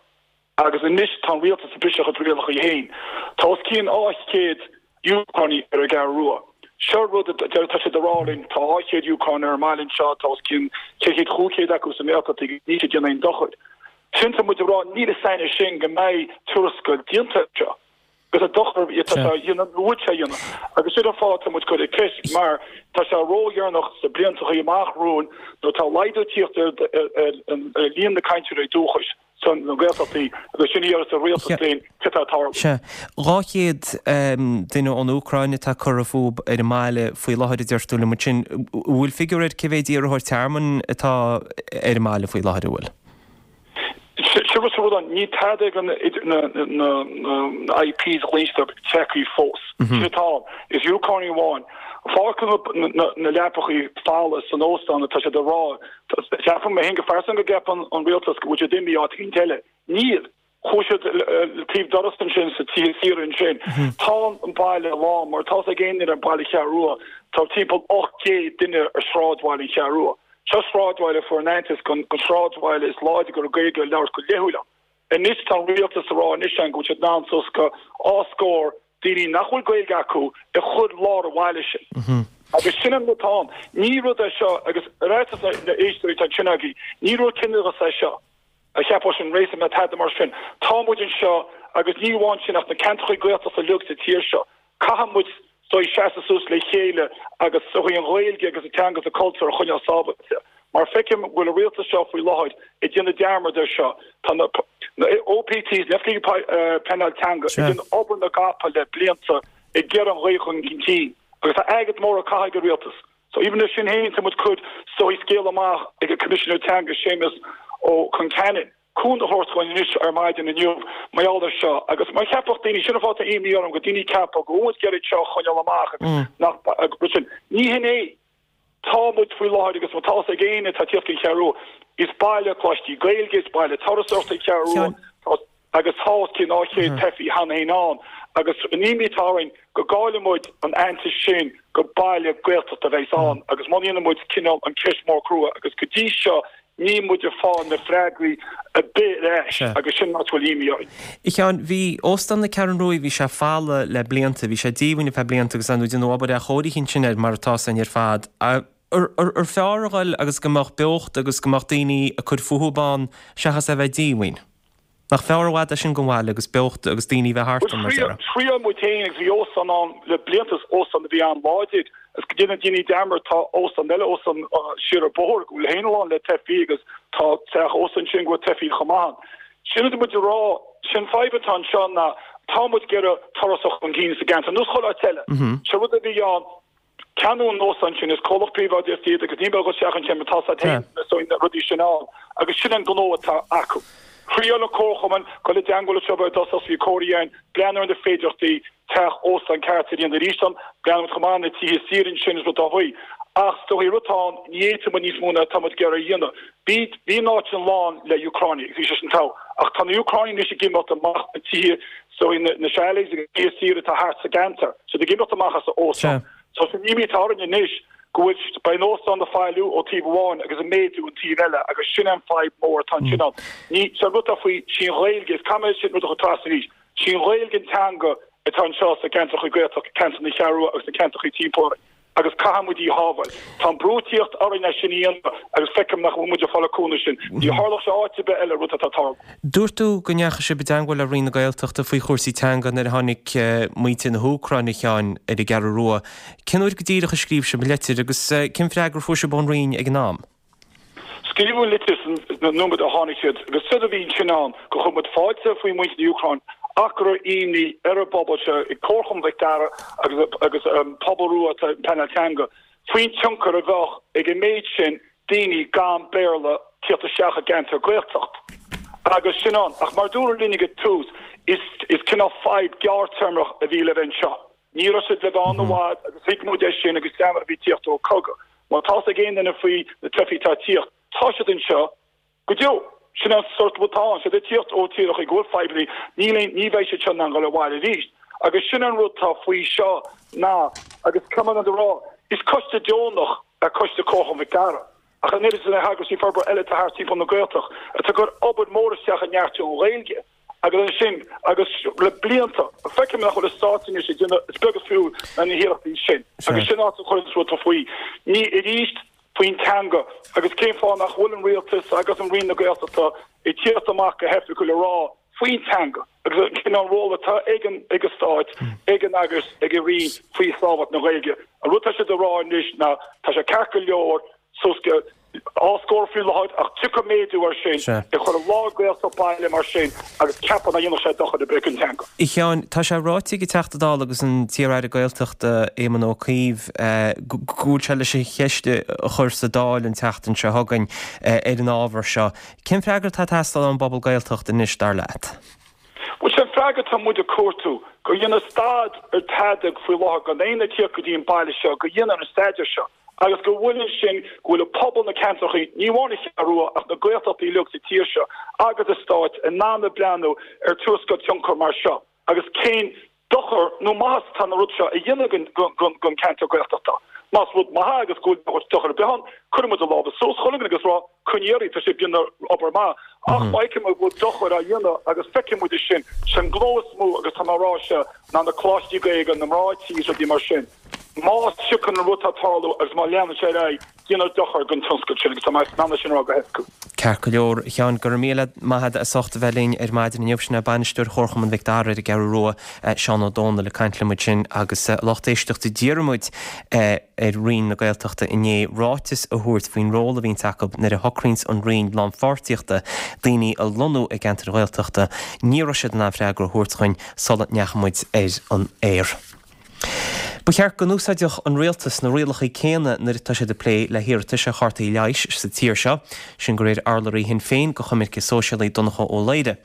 Agus anois tá an rialtas ag briseadh a chuid rialacha féin. Tá os cionn 200 Úcránaigh ar an gCeathrú Rua. Seo rud a deir, tá siad ag rá linn, tá 200 Úcránach ar an mbaile anseo, tá os cionn 400, 500 acu sa nGaeltacht agus níl siad ag déanamh aon dochair. Sin tá muid ag rá, níl a fhios againn sin go mbeidh tuarascáil déanta air seo. Agus an dochar atá sé a dhéanamh nó bhfuil sé a dhéanamh. Agus sin an fáth atá muid ag cur an ceist mar tá sé ródheireanach sna bliantachaí amach romhainn nuair atá laghdú ag tíocht ar líon na cainteoirí dúchais sna Gaeltachtaí agus sin a dhéarfas an rialtas linn céard atá ag tarlú. Sea. 200 duine ón Úcráin atá curtha fúthu ar an mbaile faoi láthair a deir tú liom ansin. An bhfuil figiúr ar cé mhéad iarrthóir tearmainn atá ar an mbaile faoi láthair, an bhfuil? Sin rud sa rud ann, níl tada ag na IPs a ghlaonn teifigh fós. Sin atá ann. Is Úcránaigh amháin. Fág na leapachaí folamh san óstán atá siad ag rá. Ceapaim mé féin go pearsanta go gceapann an rialtas go bhfuil siad imithe áit éicint eile. Níl. Chuaigh siad le taobh doras ansin sa tithe saoire ansin. Tá an baile lán mar tá a fhios ag aon duine ar baile Cheathrú Rua. Tá timpeall 800 duine ar sráidbhaile an Cheathrú Rua. Seo sráidbhaile a fuair an aitheantas gon sráidbhaile is láidre go raibh Gaeilge á labhairt go laethúil ann. Anois tá an rialtas ag rá anois ann go bhfuil siad in ann suas go dhá scór daoine nach bhfuil Gaeilge acu a chur lár an bhaile sin. Agus sin an rud atá ann. Ní rud é seo, agus ar fhaitíos na n-éisteoirí atá ansin agaibh, ní rud ciníochas é seo a cheapfadh sin racism ná tada mar sin. Tá muid anseo agus ní amháin sin ach na ceantracha Gaeltachta uilig sa tír seo. Caithfidh muid so seasamh suas le chéile agus sochaí an Ghaeilge agus an teanga agus an cultúr a choinneáil sábháilte. Mar feicim go bhfuil an rialtas seo faoi láthair ag déanamh dearmad ar seo. Tá na OPTs, na Oifigigh Pleanáil Teanga, ag déanamh obair na gcapall le blianta ag iarraidh an Ghaeilge a chur chun cinn agus tá airgead mór á caitheamh ag an rialtas. So even leis sin féin tá muid cur sochaí scéal amach ag an Coimisinéir Teanga Séamus Ó Concheanainn. cúnamh a thabhairt dhúinn anois ar maidin inniu mar gheall air seo agus mar cheapfadh daoine, sin an fáth atá imní orm, go daoine ag ceapadh go bhfuil muid ag iarraidh seo a choinneáil amach agus nach, rud sin. Ní hin é. Tá muid faoi láthair agus má tá fhios ag éinne atá ag tíocht go Ceathrú Rua, is baile coláistí Gaeilge, is baile turasóireachta é Ceathrú Rua, tá, agus tá os cionn 200 teifí cheana féin ann agus an imní atá orainn go gcaillfidh muid an aitheantas sin gur baile Gaeltachta a bheas ann agus muna ndéanann muid cineál an ceist mór crua agus go dtí seo Níl muid ag fáil na freagraí ar bith ar ais agus sin an áit a bhfuil imní orainn. A Sheáin, bhí Óstán na Ceathrún Ruaidh, bhí sé folamh le blianta, bhí sé díomhaoin ar feadh blianta agus ar ndóigh déanadh obair athchóirithe ansin air mar atá san ar fad. Ar fearr a ghoil agus go mbeadh beocht agus go mbeadh daoine ag cur fúthu ann seachas é a bheith díomhaoin? Nach fearr i bhfad é sin don bhaile agus beocht agus daoine a bheith thart ann, mar a déarfá. Thriail muid féin agus bhí óstán ann le blianta, is óstán a bhí an-láidir agus go ndéana daoine dearmad tá óstán eile, óstán siar an bóthar go bhfuil féin lán le teifí agus tá teach ósta ansin go bhfuil teifí chomh maith ann. Sin rud muid a rá, sin fadhb atá anseo ná tá muid ag iarraidh turasóireacht chun cinn sa gceantar, nós chuile áit eile. Sé rud a bhí ann Ceannaíodh an óstán sin, is comhlacht príobháideach iad agus ní bheadh isteach ansin mar tá siad féin na rudaí sin ann agus sin an gnó atá acu. Thriail an comharchumann dul i dteangmháil leo ar dtús bhí comhairle ann, breathnú ar na féidearthachtaí teach óstán ceart a dhéanamh arís ann, breathnú chomh maith na tithe saoire ansin is rud dá bhfaoi. Ach is dóigh rud atá ann, ní fhéadfaidh muid níos mó ná atá muid ag iarraidh a dhéanamh. Bhí bhí an áit sin lán le Úcránaigh agus bhí sé sin togha. Ach tá na Úcránaigh anois ag imeacht amach na tithe So na chalets agus tithe saoire atá thart sa gceantar, siad ag imeacht amach as an óstán. So an imní atá orainn anois go bhfuil, beidh an óstán ag failiú ó taobh amháin agus ag méadú an taobh eile agus sin an fadhb mór atá ansin ann. Ní, sé an rud atá faoi, sí an Ghaeilge, is caithfidh mé sin rud a chur trasna arís, sí an Ghaeilge an teanga atá anseo sa gceantracha Gaeltacht, ceantar na Ceathrú Rua agus na ceantracha timpeall orainn. agus caithfidh muid í a shábháil. Tá an brú ag tíocht orainn é sin a dhéanamh agus feicim nach bhfuil muid ag fáil an cúnamh sin. Ní tharlódh sé áit ar bith eile rud atá ag tarlú. Dúirt tú go ndeachaigh sibh i dteangmháil le Roinn na Gaeltachta faoi chúrsaí teanga nuair a tháinig muintir na hÚcráine, a Sheáin, ar an gCeathrú Rua. Cén uair go díreach a scríobh sibh an litir agus cén freagra a fuair sibh ón Roinn ag an am? Scríobhadh an litir san nóiméad a tháinig siad agus séard a bhí ansin ann gur chuir muid fáilte faoi mhuintir na Úcráin ach go raibh imní ar an bpobal seo ag Comharchumann Mhic Dara agus agus an pobal rua atá ag pleanáil teanga faoin tionchar a bheadh ag an méid sin daoine gan Béarla tíocht isteach i gceantar Gaeltacht agus sin ann. Ach mar dúradh linn ag an tús is is cineál fadhb gearrtéarmach a bhí le bheith anseo. Ní raibh siad le bheith ann i bhfad agus thuig muid é sin agus dream a bhí tíocht ó cogadh. Má tá fhios ag aon duine faoi na teifigh atá ag tíocht, tá siad anseo go deo. Sin an sort rud atá ann. Siad ag tíocht ó tíreacha go bhfuil fadhbannaí, níl aon, ní bheidh siad seo in ann dhul abhaile arís. Agus sin an rud atá faoi seo ná, agus caithfidh mé a rá, is coiste deonach é Coiste Comharchumann Mhic Dara. Ach an oiread is na heagraisí forbartha eile atá thart timpeall na Gaeltacht atá ag cur obair mhór isteach i neartú an Ghaeilge. Agus ansin, agus le blianta, feicim nach bhfuil an stát anois ag déanamh, is beag is fiú na hiarrachtaí sin. Agus sin áit a chuireann rud faoi. Ní arís faoin teanga agus cén fáth nach bhfuil an rialtas agus an Roinn na Gaeltachta ag tíocht amach go hoifigiúil a rá. faoin teanga agus an cineál ról atá ag an ag an Stát, ag an eagras, ag an Roinn faoi sábháilt na Gaeilge. An rud atá siad a rá anois ná tá sé ceart go leor suas go dhá scór faoi láthair ach tiocfaidh méadú air sin ag cur i lár Gaeltacht baile mar sin agus ceapaim nach ndéanfadh sé dochar ar bith don teanga. A Sheáin, tá sé ráite ag an Teachta Dála agus an t-iar-aire Gaeltachta Éamon Ó Cuív go bhfuil sé leis an cheist a chur sa Dáil an tseachtain seo chugainn ar an ábhar seo. Cén freagra atá ag teastáil ón bpobal Gaeltachta anois, dar leat? Bhuel, sé an freagra atá muid ag cuartú, go ndéanfar stad ar tada faoi láthair, gan éinne ag tíocht go dtí an baile seo, go ndéanfar an staidéar seo agus go bhfuil ansin, go bhfuil an pobal na ceantrachaí, ní amháin an Cheathrú Rua ach na Gaeltachtaí uilig sa tír seo agus an Stát in ann a breathnú ar tuarascáil tionchair mar seo agus cén dochar nó maitheas atá an rud seo a dhéanamh don ceantar Gaeltachta. Más rud maith é agus go bhfuil dochar ar bith ann, cuirfidh muid a lámha suas chuile dhuine agus rá, coinnigh oraibh, tá sibh ag déanamh obair maith. Ach má fheiceann muid go bhfuil dochar á dhéanamh agus feicfidh muid é sin, sé an gnó is mó agus tá mé ag rá seo ná na coláistí Gaeilge, na mná tí is rudaí mar sin. Má thiocfaidh an rud atá ag tarlú agus má leanann sé ar aghaidh, déanfar dochar don tionscal sin agus tá mé in ann é sin a rá go hoifigiúil. Ceart go leor, a Sheáin, go raibh míle maith agat as ucht a bheith linn ar maidin inniu. Sin é Bainisteoir Chomharchumann Mhic Dara ar an gCeathrú Rua, Seán Ó Dónaill ag caint liom ansin agus a lucht éisteachta d'iarr muid ar Roinn na Gaeltachta inné ráiteas a thabhairt faoin ról a bhíonns acu nuair a shocraíonns an Roinn lánpháirtíochta daoine a lonnú i gceantair Ghaeltachta. Ní raibh siad in ann freagra a thabhairt dhuinn sula ndeachaigh muid ar an aer. Ba cheart go n-úsáidfeadh an rialtas na rialacha céanna nuair atá siad ag plé le hiarratais ar chártaí leighis sa tír seo, sin de réir urlabhraí Shinn Féin do choimirce sóisialaí Donncha Ó Laoghaire.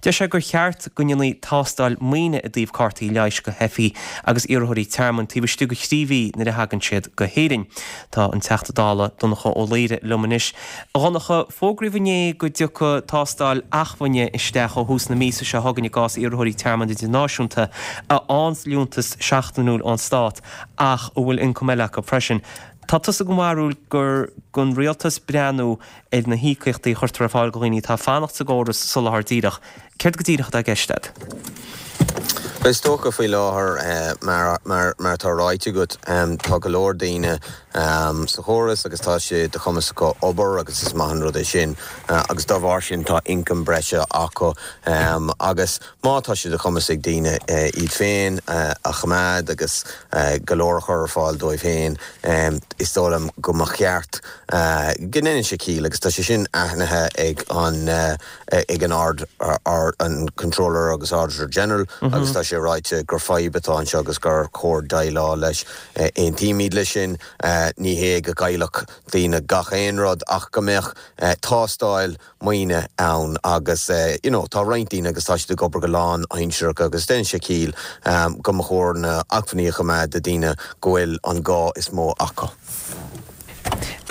Deir sé gur cheart go ndéanfaí tástáil maoine i dtaobh cártaí leighis do theifigh agus iarrthóirí tearmainn taobh istigh de thrí mhí nuair a thagann siad go hÉirinn. Tá an Teachta Dála Donncha Ó Laoghaire liom anois. A Dhonncha, fógraíodh inné go dtiocfaidh tástáil acmhainne isteach ó thús na míosa seo chugainn i gcás iarrthóirí tearmainn idirnáisiúnta a fhaigheanns liúntas seachtainiúil ón stát ach a bhfuil ioncam eile acu freisin. Tá tusa den bharúil gur don rialtas breathnú ar na híocaíochtaí a chuirtear ar fáil do dhaoine atá ag fanacht sa gcóras soláthair díreach. Céard go díreach atá i gceist agat? Is dócha faoi láthair, mar atá ráite agat, tá go leor daoine sa chóras agus tá sé de chumas acu obair agus is maith an rud é sin agus dá bharr sin tá ioncam breise acu agus má tá sé de chumas ag daoine iad féin a choimeád agus go leor a chur ar fáil dóibh féin, is dóigh liom go mba cheart go ndéanann sé ciall agus tá sé sin aithnithe ag an ag an Ard, an Comptroller agus Auditor General agus tá sé ráite gur fadhb atá anseo agus gur chóir déileáil leis. Aontaímid leis sin. Ní hé go gcaillfeadh daoine gach aon rud ach go mbeadh tástáil maoine ann agus you know tá roinnt daoine agus tá siad ag obair go lánaimsearach agus déanann sé ciall go mba chóir na acmhainní a choimeád do daoine go bhfuil an gá is mó acu.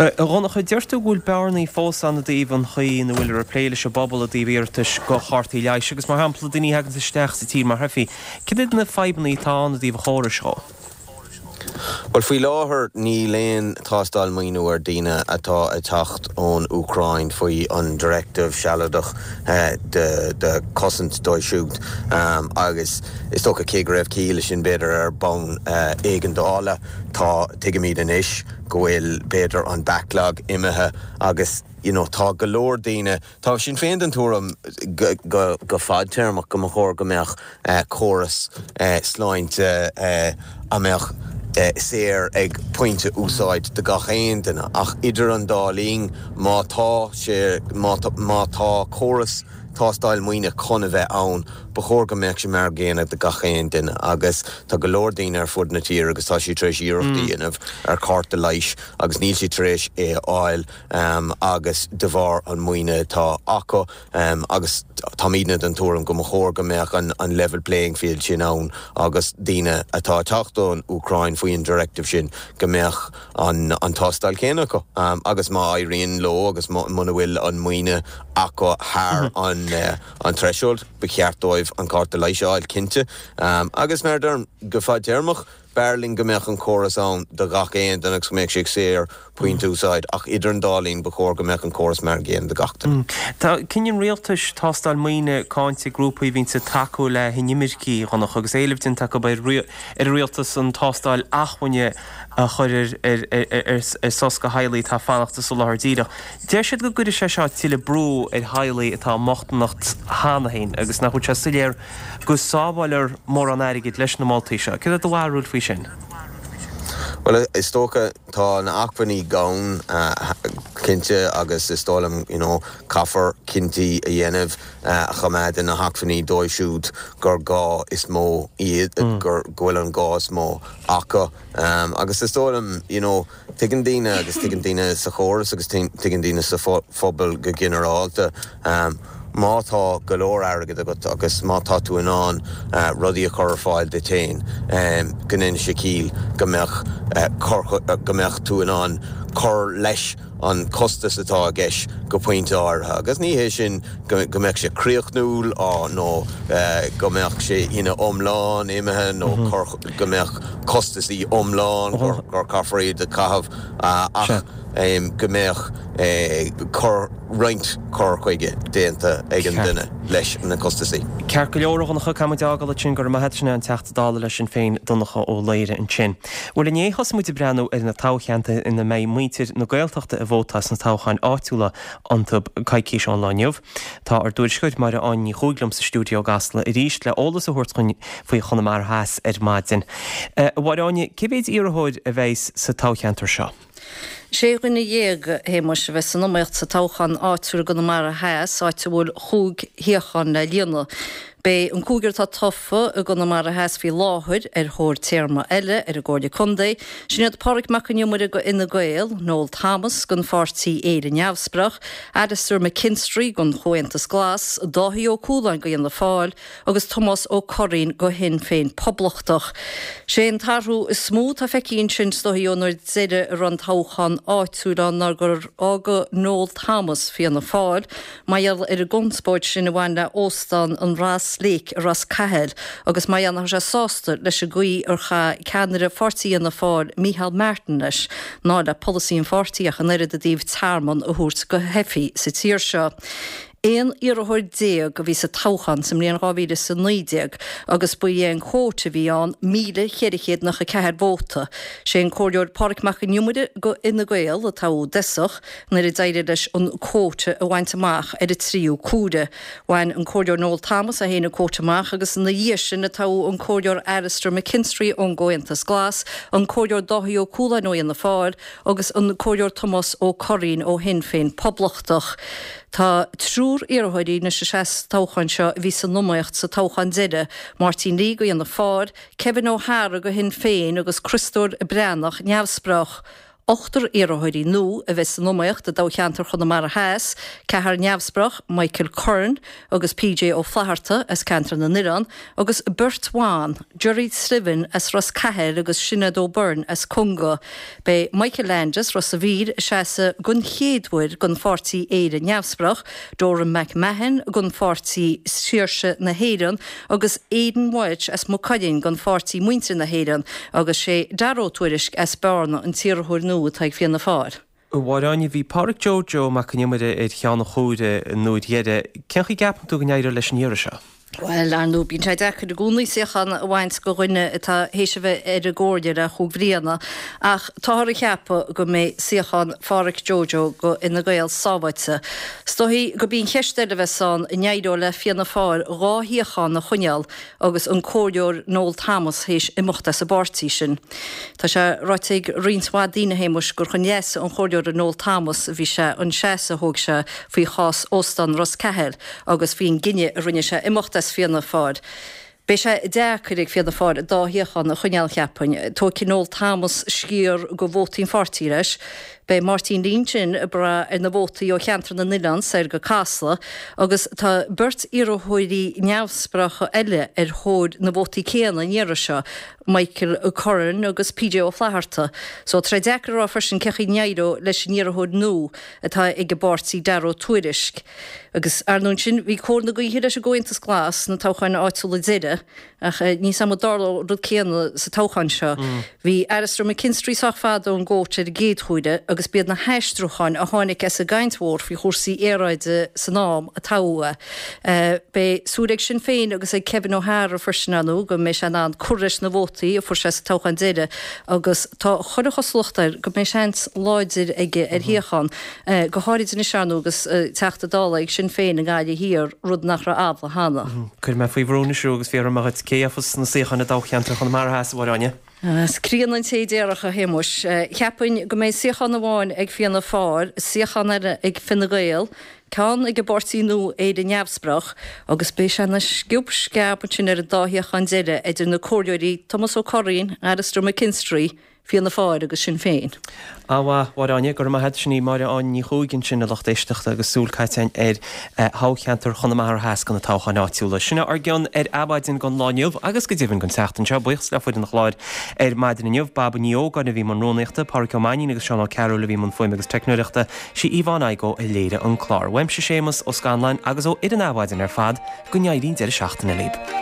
A Dhonncha, deir tú go bhfuil bearnaí fós ann i dtaobh an chaoi ina bhfuiltear ag plé leis an bpobal i dtaobh iarratais do chártaí leighis agus, mar shampla, daoine a thaganns isteach sa tír mar theifigh. Cad iad na fadhbanna atá ann i dtaobh an chórais dhó? Bhuel, faoi láthair níl aon tástáil maoine ar daoine atá ag teacht ón Úcráin faoi an Directive sealadach de chosaint dóibh siúd agus is dócha cé go raibh ciall leis sin b'fhéidir ar bonn éigeandála, Tá, tuigimid anois go bhfuil, b'fhéidir, an backlog imithe agus you know tá go leor daoine, tá Sinn Féin den tuairim go, go, go fadtéarmach go mba chóir go mbeadh córas sláinte a mbeadh saor ag pointe úsáid do gach aon duine ach idir an dá linn má tá sé, má tá, má tá córas tástáil maoine chun a bheith ann, ba chóir go mbeadh sé mar an gcéanna do gach aon duine agus tá go leor daoine ar fud na tíre agus tá siad tar éis iarracht a dhéanamh ar chárta leighis agus níl siad tar éis é a fháil agus de bharr an maoine atá acu agus táimidne den tuairim go mba chóir go mbeadh an level playing field sin ann agus daoine atá ag teacht ón Úcráin faoi an directive sin go mbeadh an tástáil chéanna acu agus má éiríonn leo agus muna bhfuil an maoine acu thar an threshold, ba cheart dóibh an cárta leighis a fháil cinnte. Agus mar a deirim, go fadtéarmach, B'fhearr linn go mbeadh an córas ann do gach aon duine agus go mbeadh sé saor pointe úsáid ach idir an dá linn ba chóir go mbeadh an córas mar an gcéanna do gach duine. Tá cinneadh an rialtais tástáil maoine cáinte ag grúpaí a bhíonns ag tacú le hinimircigh, a Dhonncha, agus éileamh déanta acu ar an rialtas an tástáil acmhainne a chur ar sos do theaghlaigh atá ag fanacht sa soláthar díreach. Deir siad go gcuirfidh sé seo tuilleadh brú ar theaghlaigh atá i mbochtaineacht cheana féin agus nach bhfuil sé soiléir go sábháilfear mórán airgid leis na moltaí seo. Céard é do bharúil faoi sin? Bhuel, is dócha, tá na acmhainní gann, cinnte, agus is dóigh liom, you know, caithfear cinntí a dhéanamh a choimeádann na hacmhainní dóibh siúd gur gá is mó iad, gur, go bhfuil an gá is mó acu. Agus is dóigh liom, you know, tuigeann daoine agus tuigeann daoine sa chóras agus tuigeann daoine sa phobal go ginearálta, má tá go leor airgid agat agus má tá tú in ann rudaí a chur ar fáil duit féin, go ndéanann sé ciall go mbeadh go mbeadh tú in ann cur leis an costas atá i gceist go pointe áirithe. Agus ní hé sin go mbeadh sé críochnúil nó go mbeadh sé ina iomlán imithe nó go mbeadh costasaí iomlán gur caithfear iad a chaitheamh ach go mbeadh cur roinnt cur chuige déanta ag an duine leis na costasaí. Ceart go leor, a Dhonncha, caithfidh muid é a fhágáil ansin. Go raibh maith agat, sin é an Teachta Dála le Sinn Féin, Donncha Ó Laoghaire ansin. Bhuel inné thosaigh muid ag breathnú ar na toghcheantair ina mbeidh muintir na Gaeltachta ag vótáil sna toghcháin áitiúla iontu coicís ón lá inniu. Tá ár dtuairisceoir Máire Áine Ní Chuaig liom sa stiúideo i gCasla arís le eolas a thabhairt dhúinn faoi Chonamara Theas ar maidin. A Mháire Áine, cé mhéid iarrthóir a bheidh sa toghcheantar seo? Sé dhuine dhéag, a Shéamuis, a bheas san iomaíocht sa toghchán áitiúil i gConamara Theas, áit a bhfuil chúig shuíochán le líonadh. Beidh an cúigear atá tofa i gConamara Theas faoi láthair ar thóir téarma eile ar an gComhairle Contae, sin iad Pádraig Mac Con Iomaire go Fhine Gael, Noel Thomas don pháirtí Éire Neamhspleách, Alastair McKinstry don Chomhaontas Glas, Dáithí Ó Cualáin go Fhianna Fáil agus Tomás Ó Curraoin go Shinn Féin Poblachtach. Sé an t-athrú is mó atá feicthe ansin is dóichí ón uair deiridh a raibh an toghchán áitiúil ann ná gur fhága Noel Thomas Fianna Fáil Mar gheall ar an gconspóid sin a bhain le Óstán an Ross Lake i Ros Cathail agus mar gheall nach raibh sé sásta leis an gcaoi ar chaith ceannaire pháirtí Fhianna Fáil, Micheál Martin leis, ná le polasaí an pháirtí ach an oiread i dtaobh tearmann a thabhairt do theifigh sa tír seo. 11 iarrthóir a bhí sa toghchán sa mbliain 2019 agus ba é an quota a bhí ann 1,494 vóta. Sé an Comhairleoir Pádraig Mac Con Iomaire go Fhine Gael a toghadh i dtosach. nuair a d'éirigh leis an quota a bhaint amach ar an tríú cuaire. Bhain an Comhairleoir Noel Thomas é féin an quota amach agus ina dhiaidh sin a toghadh an Comhairleoir Alastair McKinstry ón gComhaontas Glas, an Comhairleoir Dáithí Ó Cualáin ó Fhianna Fáil agus an Comhairleoir Tomás Ó Curraoin ó Shinn Féin Poblachtach. Tá triúr iarrthóirí anois a sheas sa toghchán seo a bhí san iomaíocht sa toghchán deiridh, Máirtín Lee go Fhianna Fáil, Kevin O'Hara go Shinn Féin agus Criostóir Breathnach, Neamhspleách. Ochtar iarrthóirí nua a bheidh san iomaíocht i dtoghcheantar Chonamara Theas, ceathrar neamhspleách, Michael Curran agus PJ Ó Flatharta as Ceantar na nOileán, agus beirt bhan, Gerry Slevin as Ros Cathail agus Sinéad O'Byrne as Conga. Beidh Michael Landis, Ros a' Mhíl, ag seasamh den chéad uair don pháirtí Éire Neamhspleách, Doran McMahon don pháirtí Saoirse na hÉireann agus Aidan Walsh as Maigh Cuilinn don pháirtí Muintir na hÉireann agus sé Dara Ó Tuairisg as Bearna an t-iarrthóir nua atá ag Fianna Fáil. A Mháire Áine, bhí Pádraig Joe Joe Mac Con Iomaire ar cheann an chomhairimh an uair dheiridh. Cén chaoi a gceapann tú go n-éireoidh leis an iarraidh seo? Bhuel, ar ndóigh, bíonn sé deacair i gcónaí suíochán a bhaint go dhuine atá théis a bheith ar an gcomhairle le chúig bhliana, ach táthar ag ceapadh go mbeidh suíochán Phádhraic Joe Joe go Fhine Gael sábháilte. Is dóichí gurb í an cheist eile a bheas ann, an éireoidh le Fianna Fáil 2 shuíochán a choinneáil agus an Comhairleoir Noel Thomas théis imeacht as an bpáirtí sin. Tá sé ráite ag roinnt mhaith daoine, a Shéamuis, gur chun leasa an Chomhairleora Noel Thomas a bhí sé an seasamh a thóg sé faoi chás Óstán Ros Cathail agus faoin gcinneadh a rinne sé imeacht as Fianna Fáil. Beidh sé deacair ag Fianna Fáil an dá shuíochán a choinneáil, cheapfainn. Tógfaidh Noel Thomas sciar de vótaí an pháirtí leis. Beidh Máirtín Lynch ag brath ar na vótaí ó Cheantar na nOileán soir go Casla agus tá beirt iarrthóirí neamhspleácha eile ar thóir na vótaí céanna an iarraidh seo, Michael Curran agus PJ Ó Flatharta. So tá sé deacair a rá freisin cén chaoi a n-éireoidh leis an iarrthóir nua atá ag an bpáirtí Dara Ó Tuairisg. Agus ar ndóigh ansin bhí cóir na gaoithe leis an gComhaontas Glas sna toghcháin áitiúla deiridh ach níl 's a'm an dtarlóidh an rud céanna sa toghchán seo. Bhí Alastair McKinstry sách fada ón gcóta ar an gcéad chuaire agus b'iad na haistriúcháin a tháinig as an gcaint mhór faoi chúrsaí aeráide san am a toghadh é. Beidh súil ag Sinn Féin agus ag Kevin O'Hara freisin ar ndóigh go mbeidh sé in ann cur leis na vótaí a fuair sé sa toghchán deiridh agus tá chuile chosúlacht air go mbeidh seans láidir aige ar shuíochán, go háirid anois ar ndóigh agus Teachta Dála ag Sinn Féin i nGaillimh Thiar, rud nach raibh amhlaidh cheana. Cuirfidh mé faoi bhrú anois thú agus fiafróidh mé dhuit cé a gheofas na suíocháin i dtoghcheantar Chonamara Theas, a Mháire Áine? Is críonna an té a déarfadh, a Shéamuis. Cheapfainn go mbeidh suíochán amháin ag Fianna Fáil, suíochán eile ag Fine Gael, ceann ag an bpáirtí nua Éire Neamhspleách agus beidh sé ina sciob sceab ansin ar an dá shuíochán deiridh idir na comhairleoirí Tomás Ó Curraoin, Alastair McKinstry, Fianna Fáil agus Sinn Féin. Ana mhaith, Mháire Áine, go raibh maith agat. Sin í Máire Áine Ní Chuaig ansin, a lucht éisteachta, agus súil caite againn ar thoghcheantar Chonamara Theas do na toghcháin áitiúla. Sin ár gcion ar Adhmhaidin don lá inniu agus go deimhin don tseachtain seo. Buíochas le foireann an chláir ar maidin inniu, Baba Ní Ógáin a bhí i mbun rúnaíochta, Pádraic Ó Mainnín agus Seán Ó Cearúil a bhí i mbun fuaime agus teicneoireachta, sí Yvonne Igoe a léirigh an clár. Uaimse Séamus Ó Scanláin agus ó fhoireann Adhmhaidin ar fad, go n-éirí an deireadh seachtaine libh.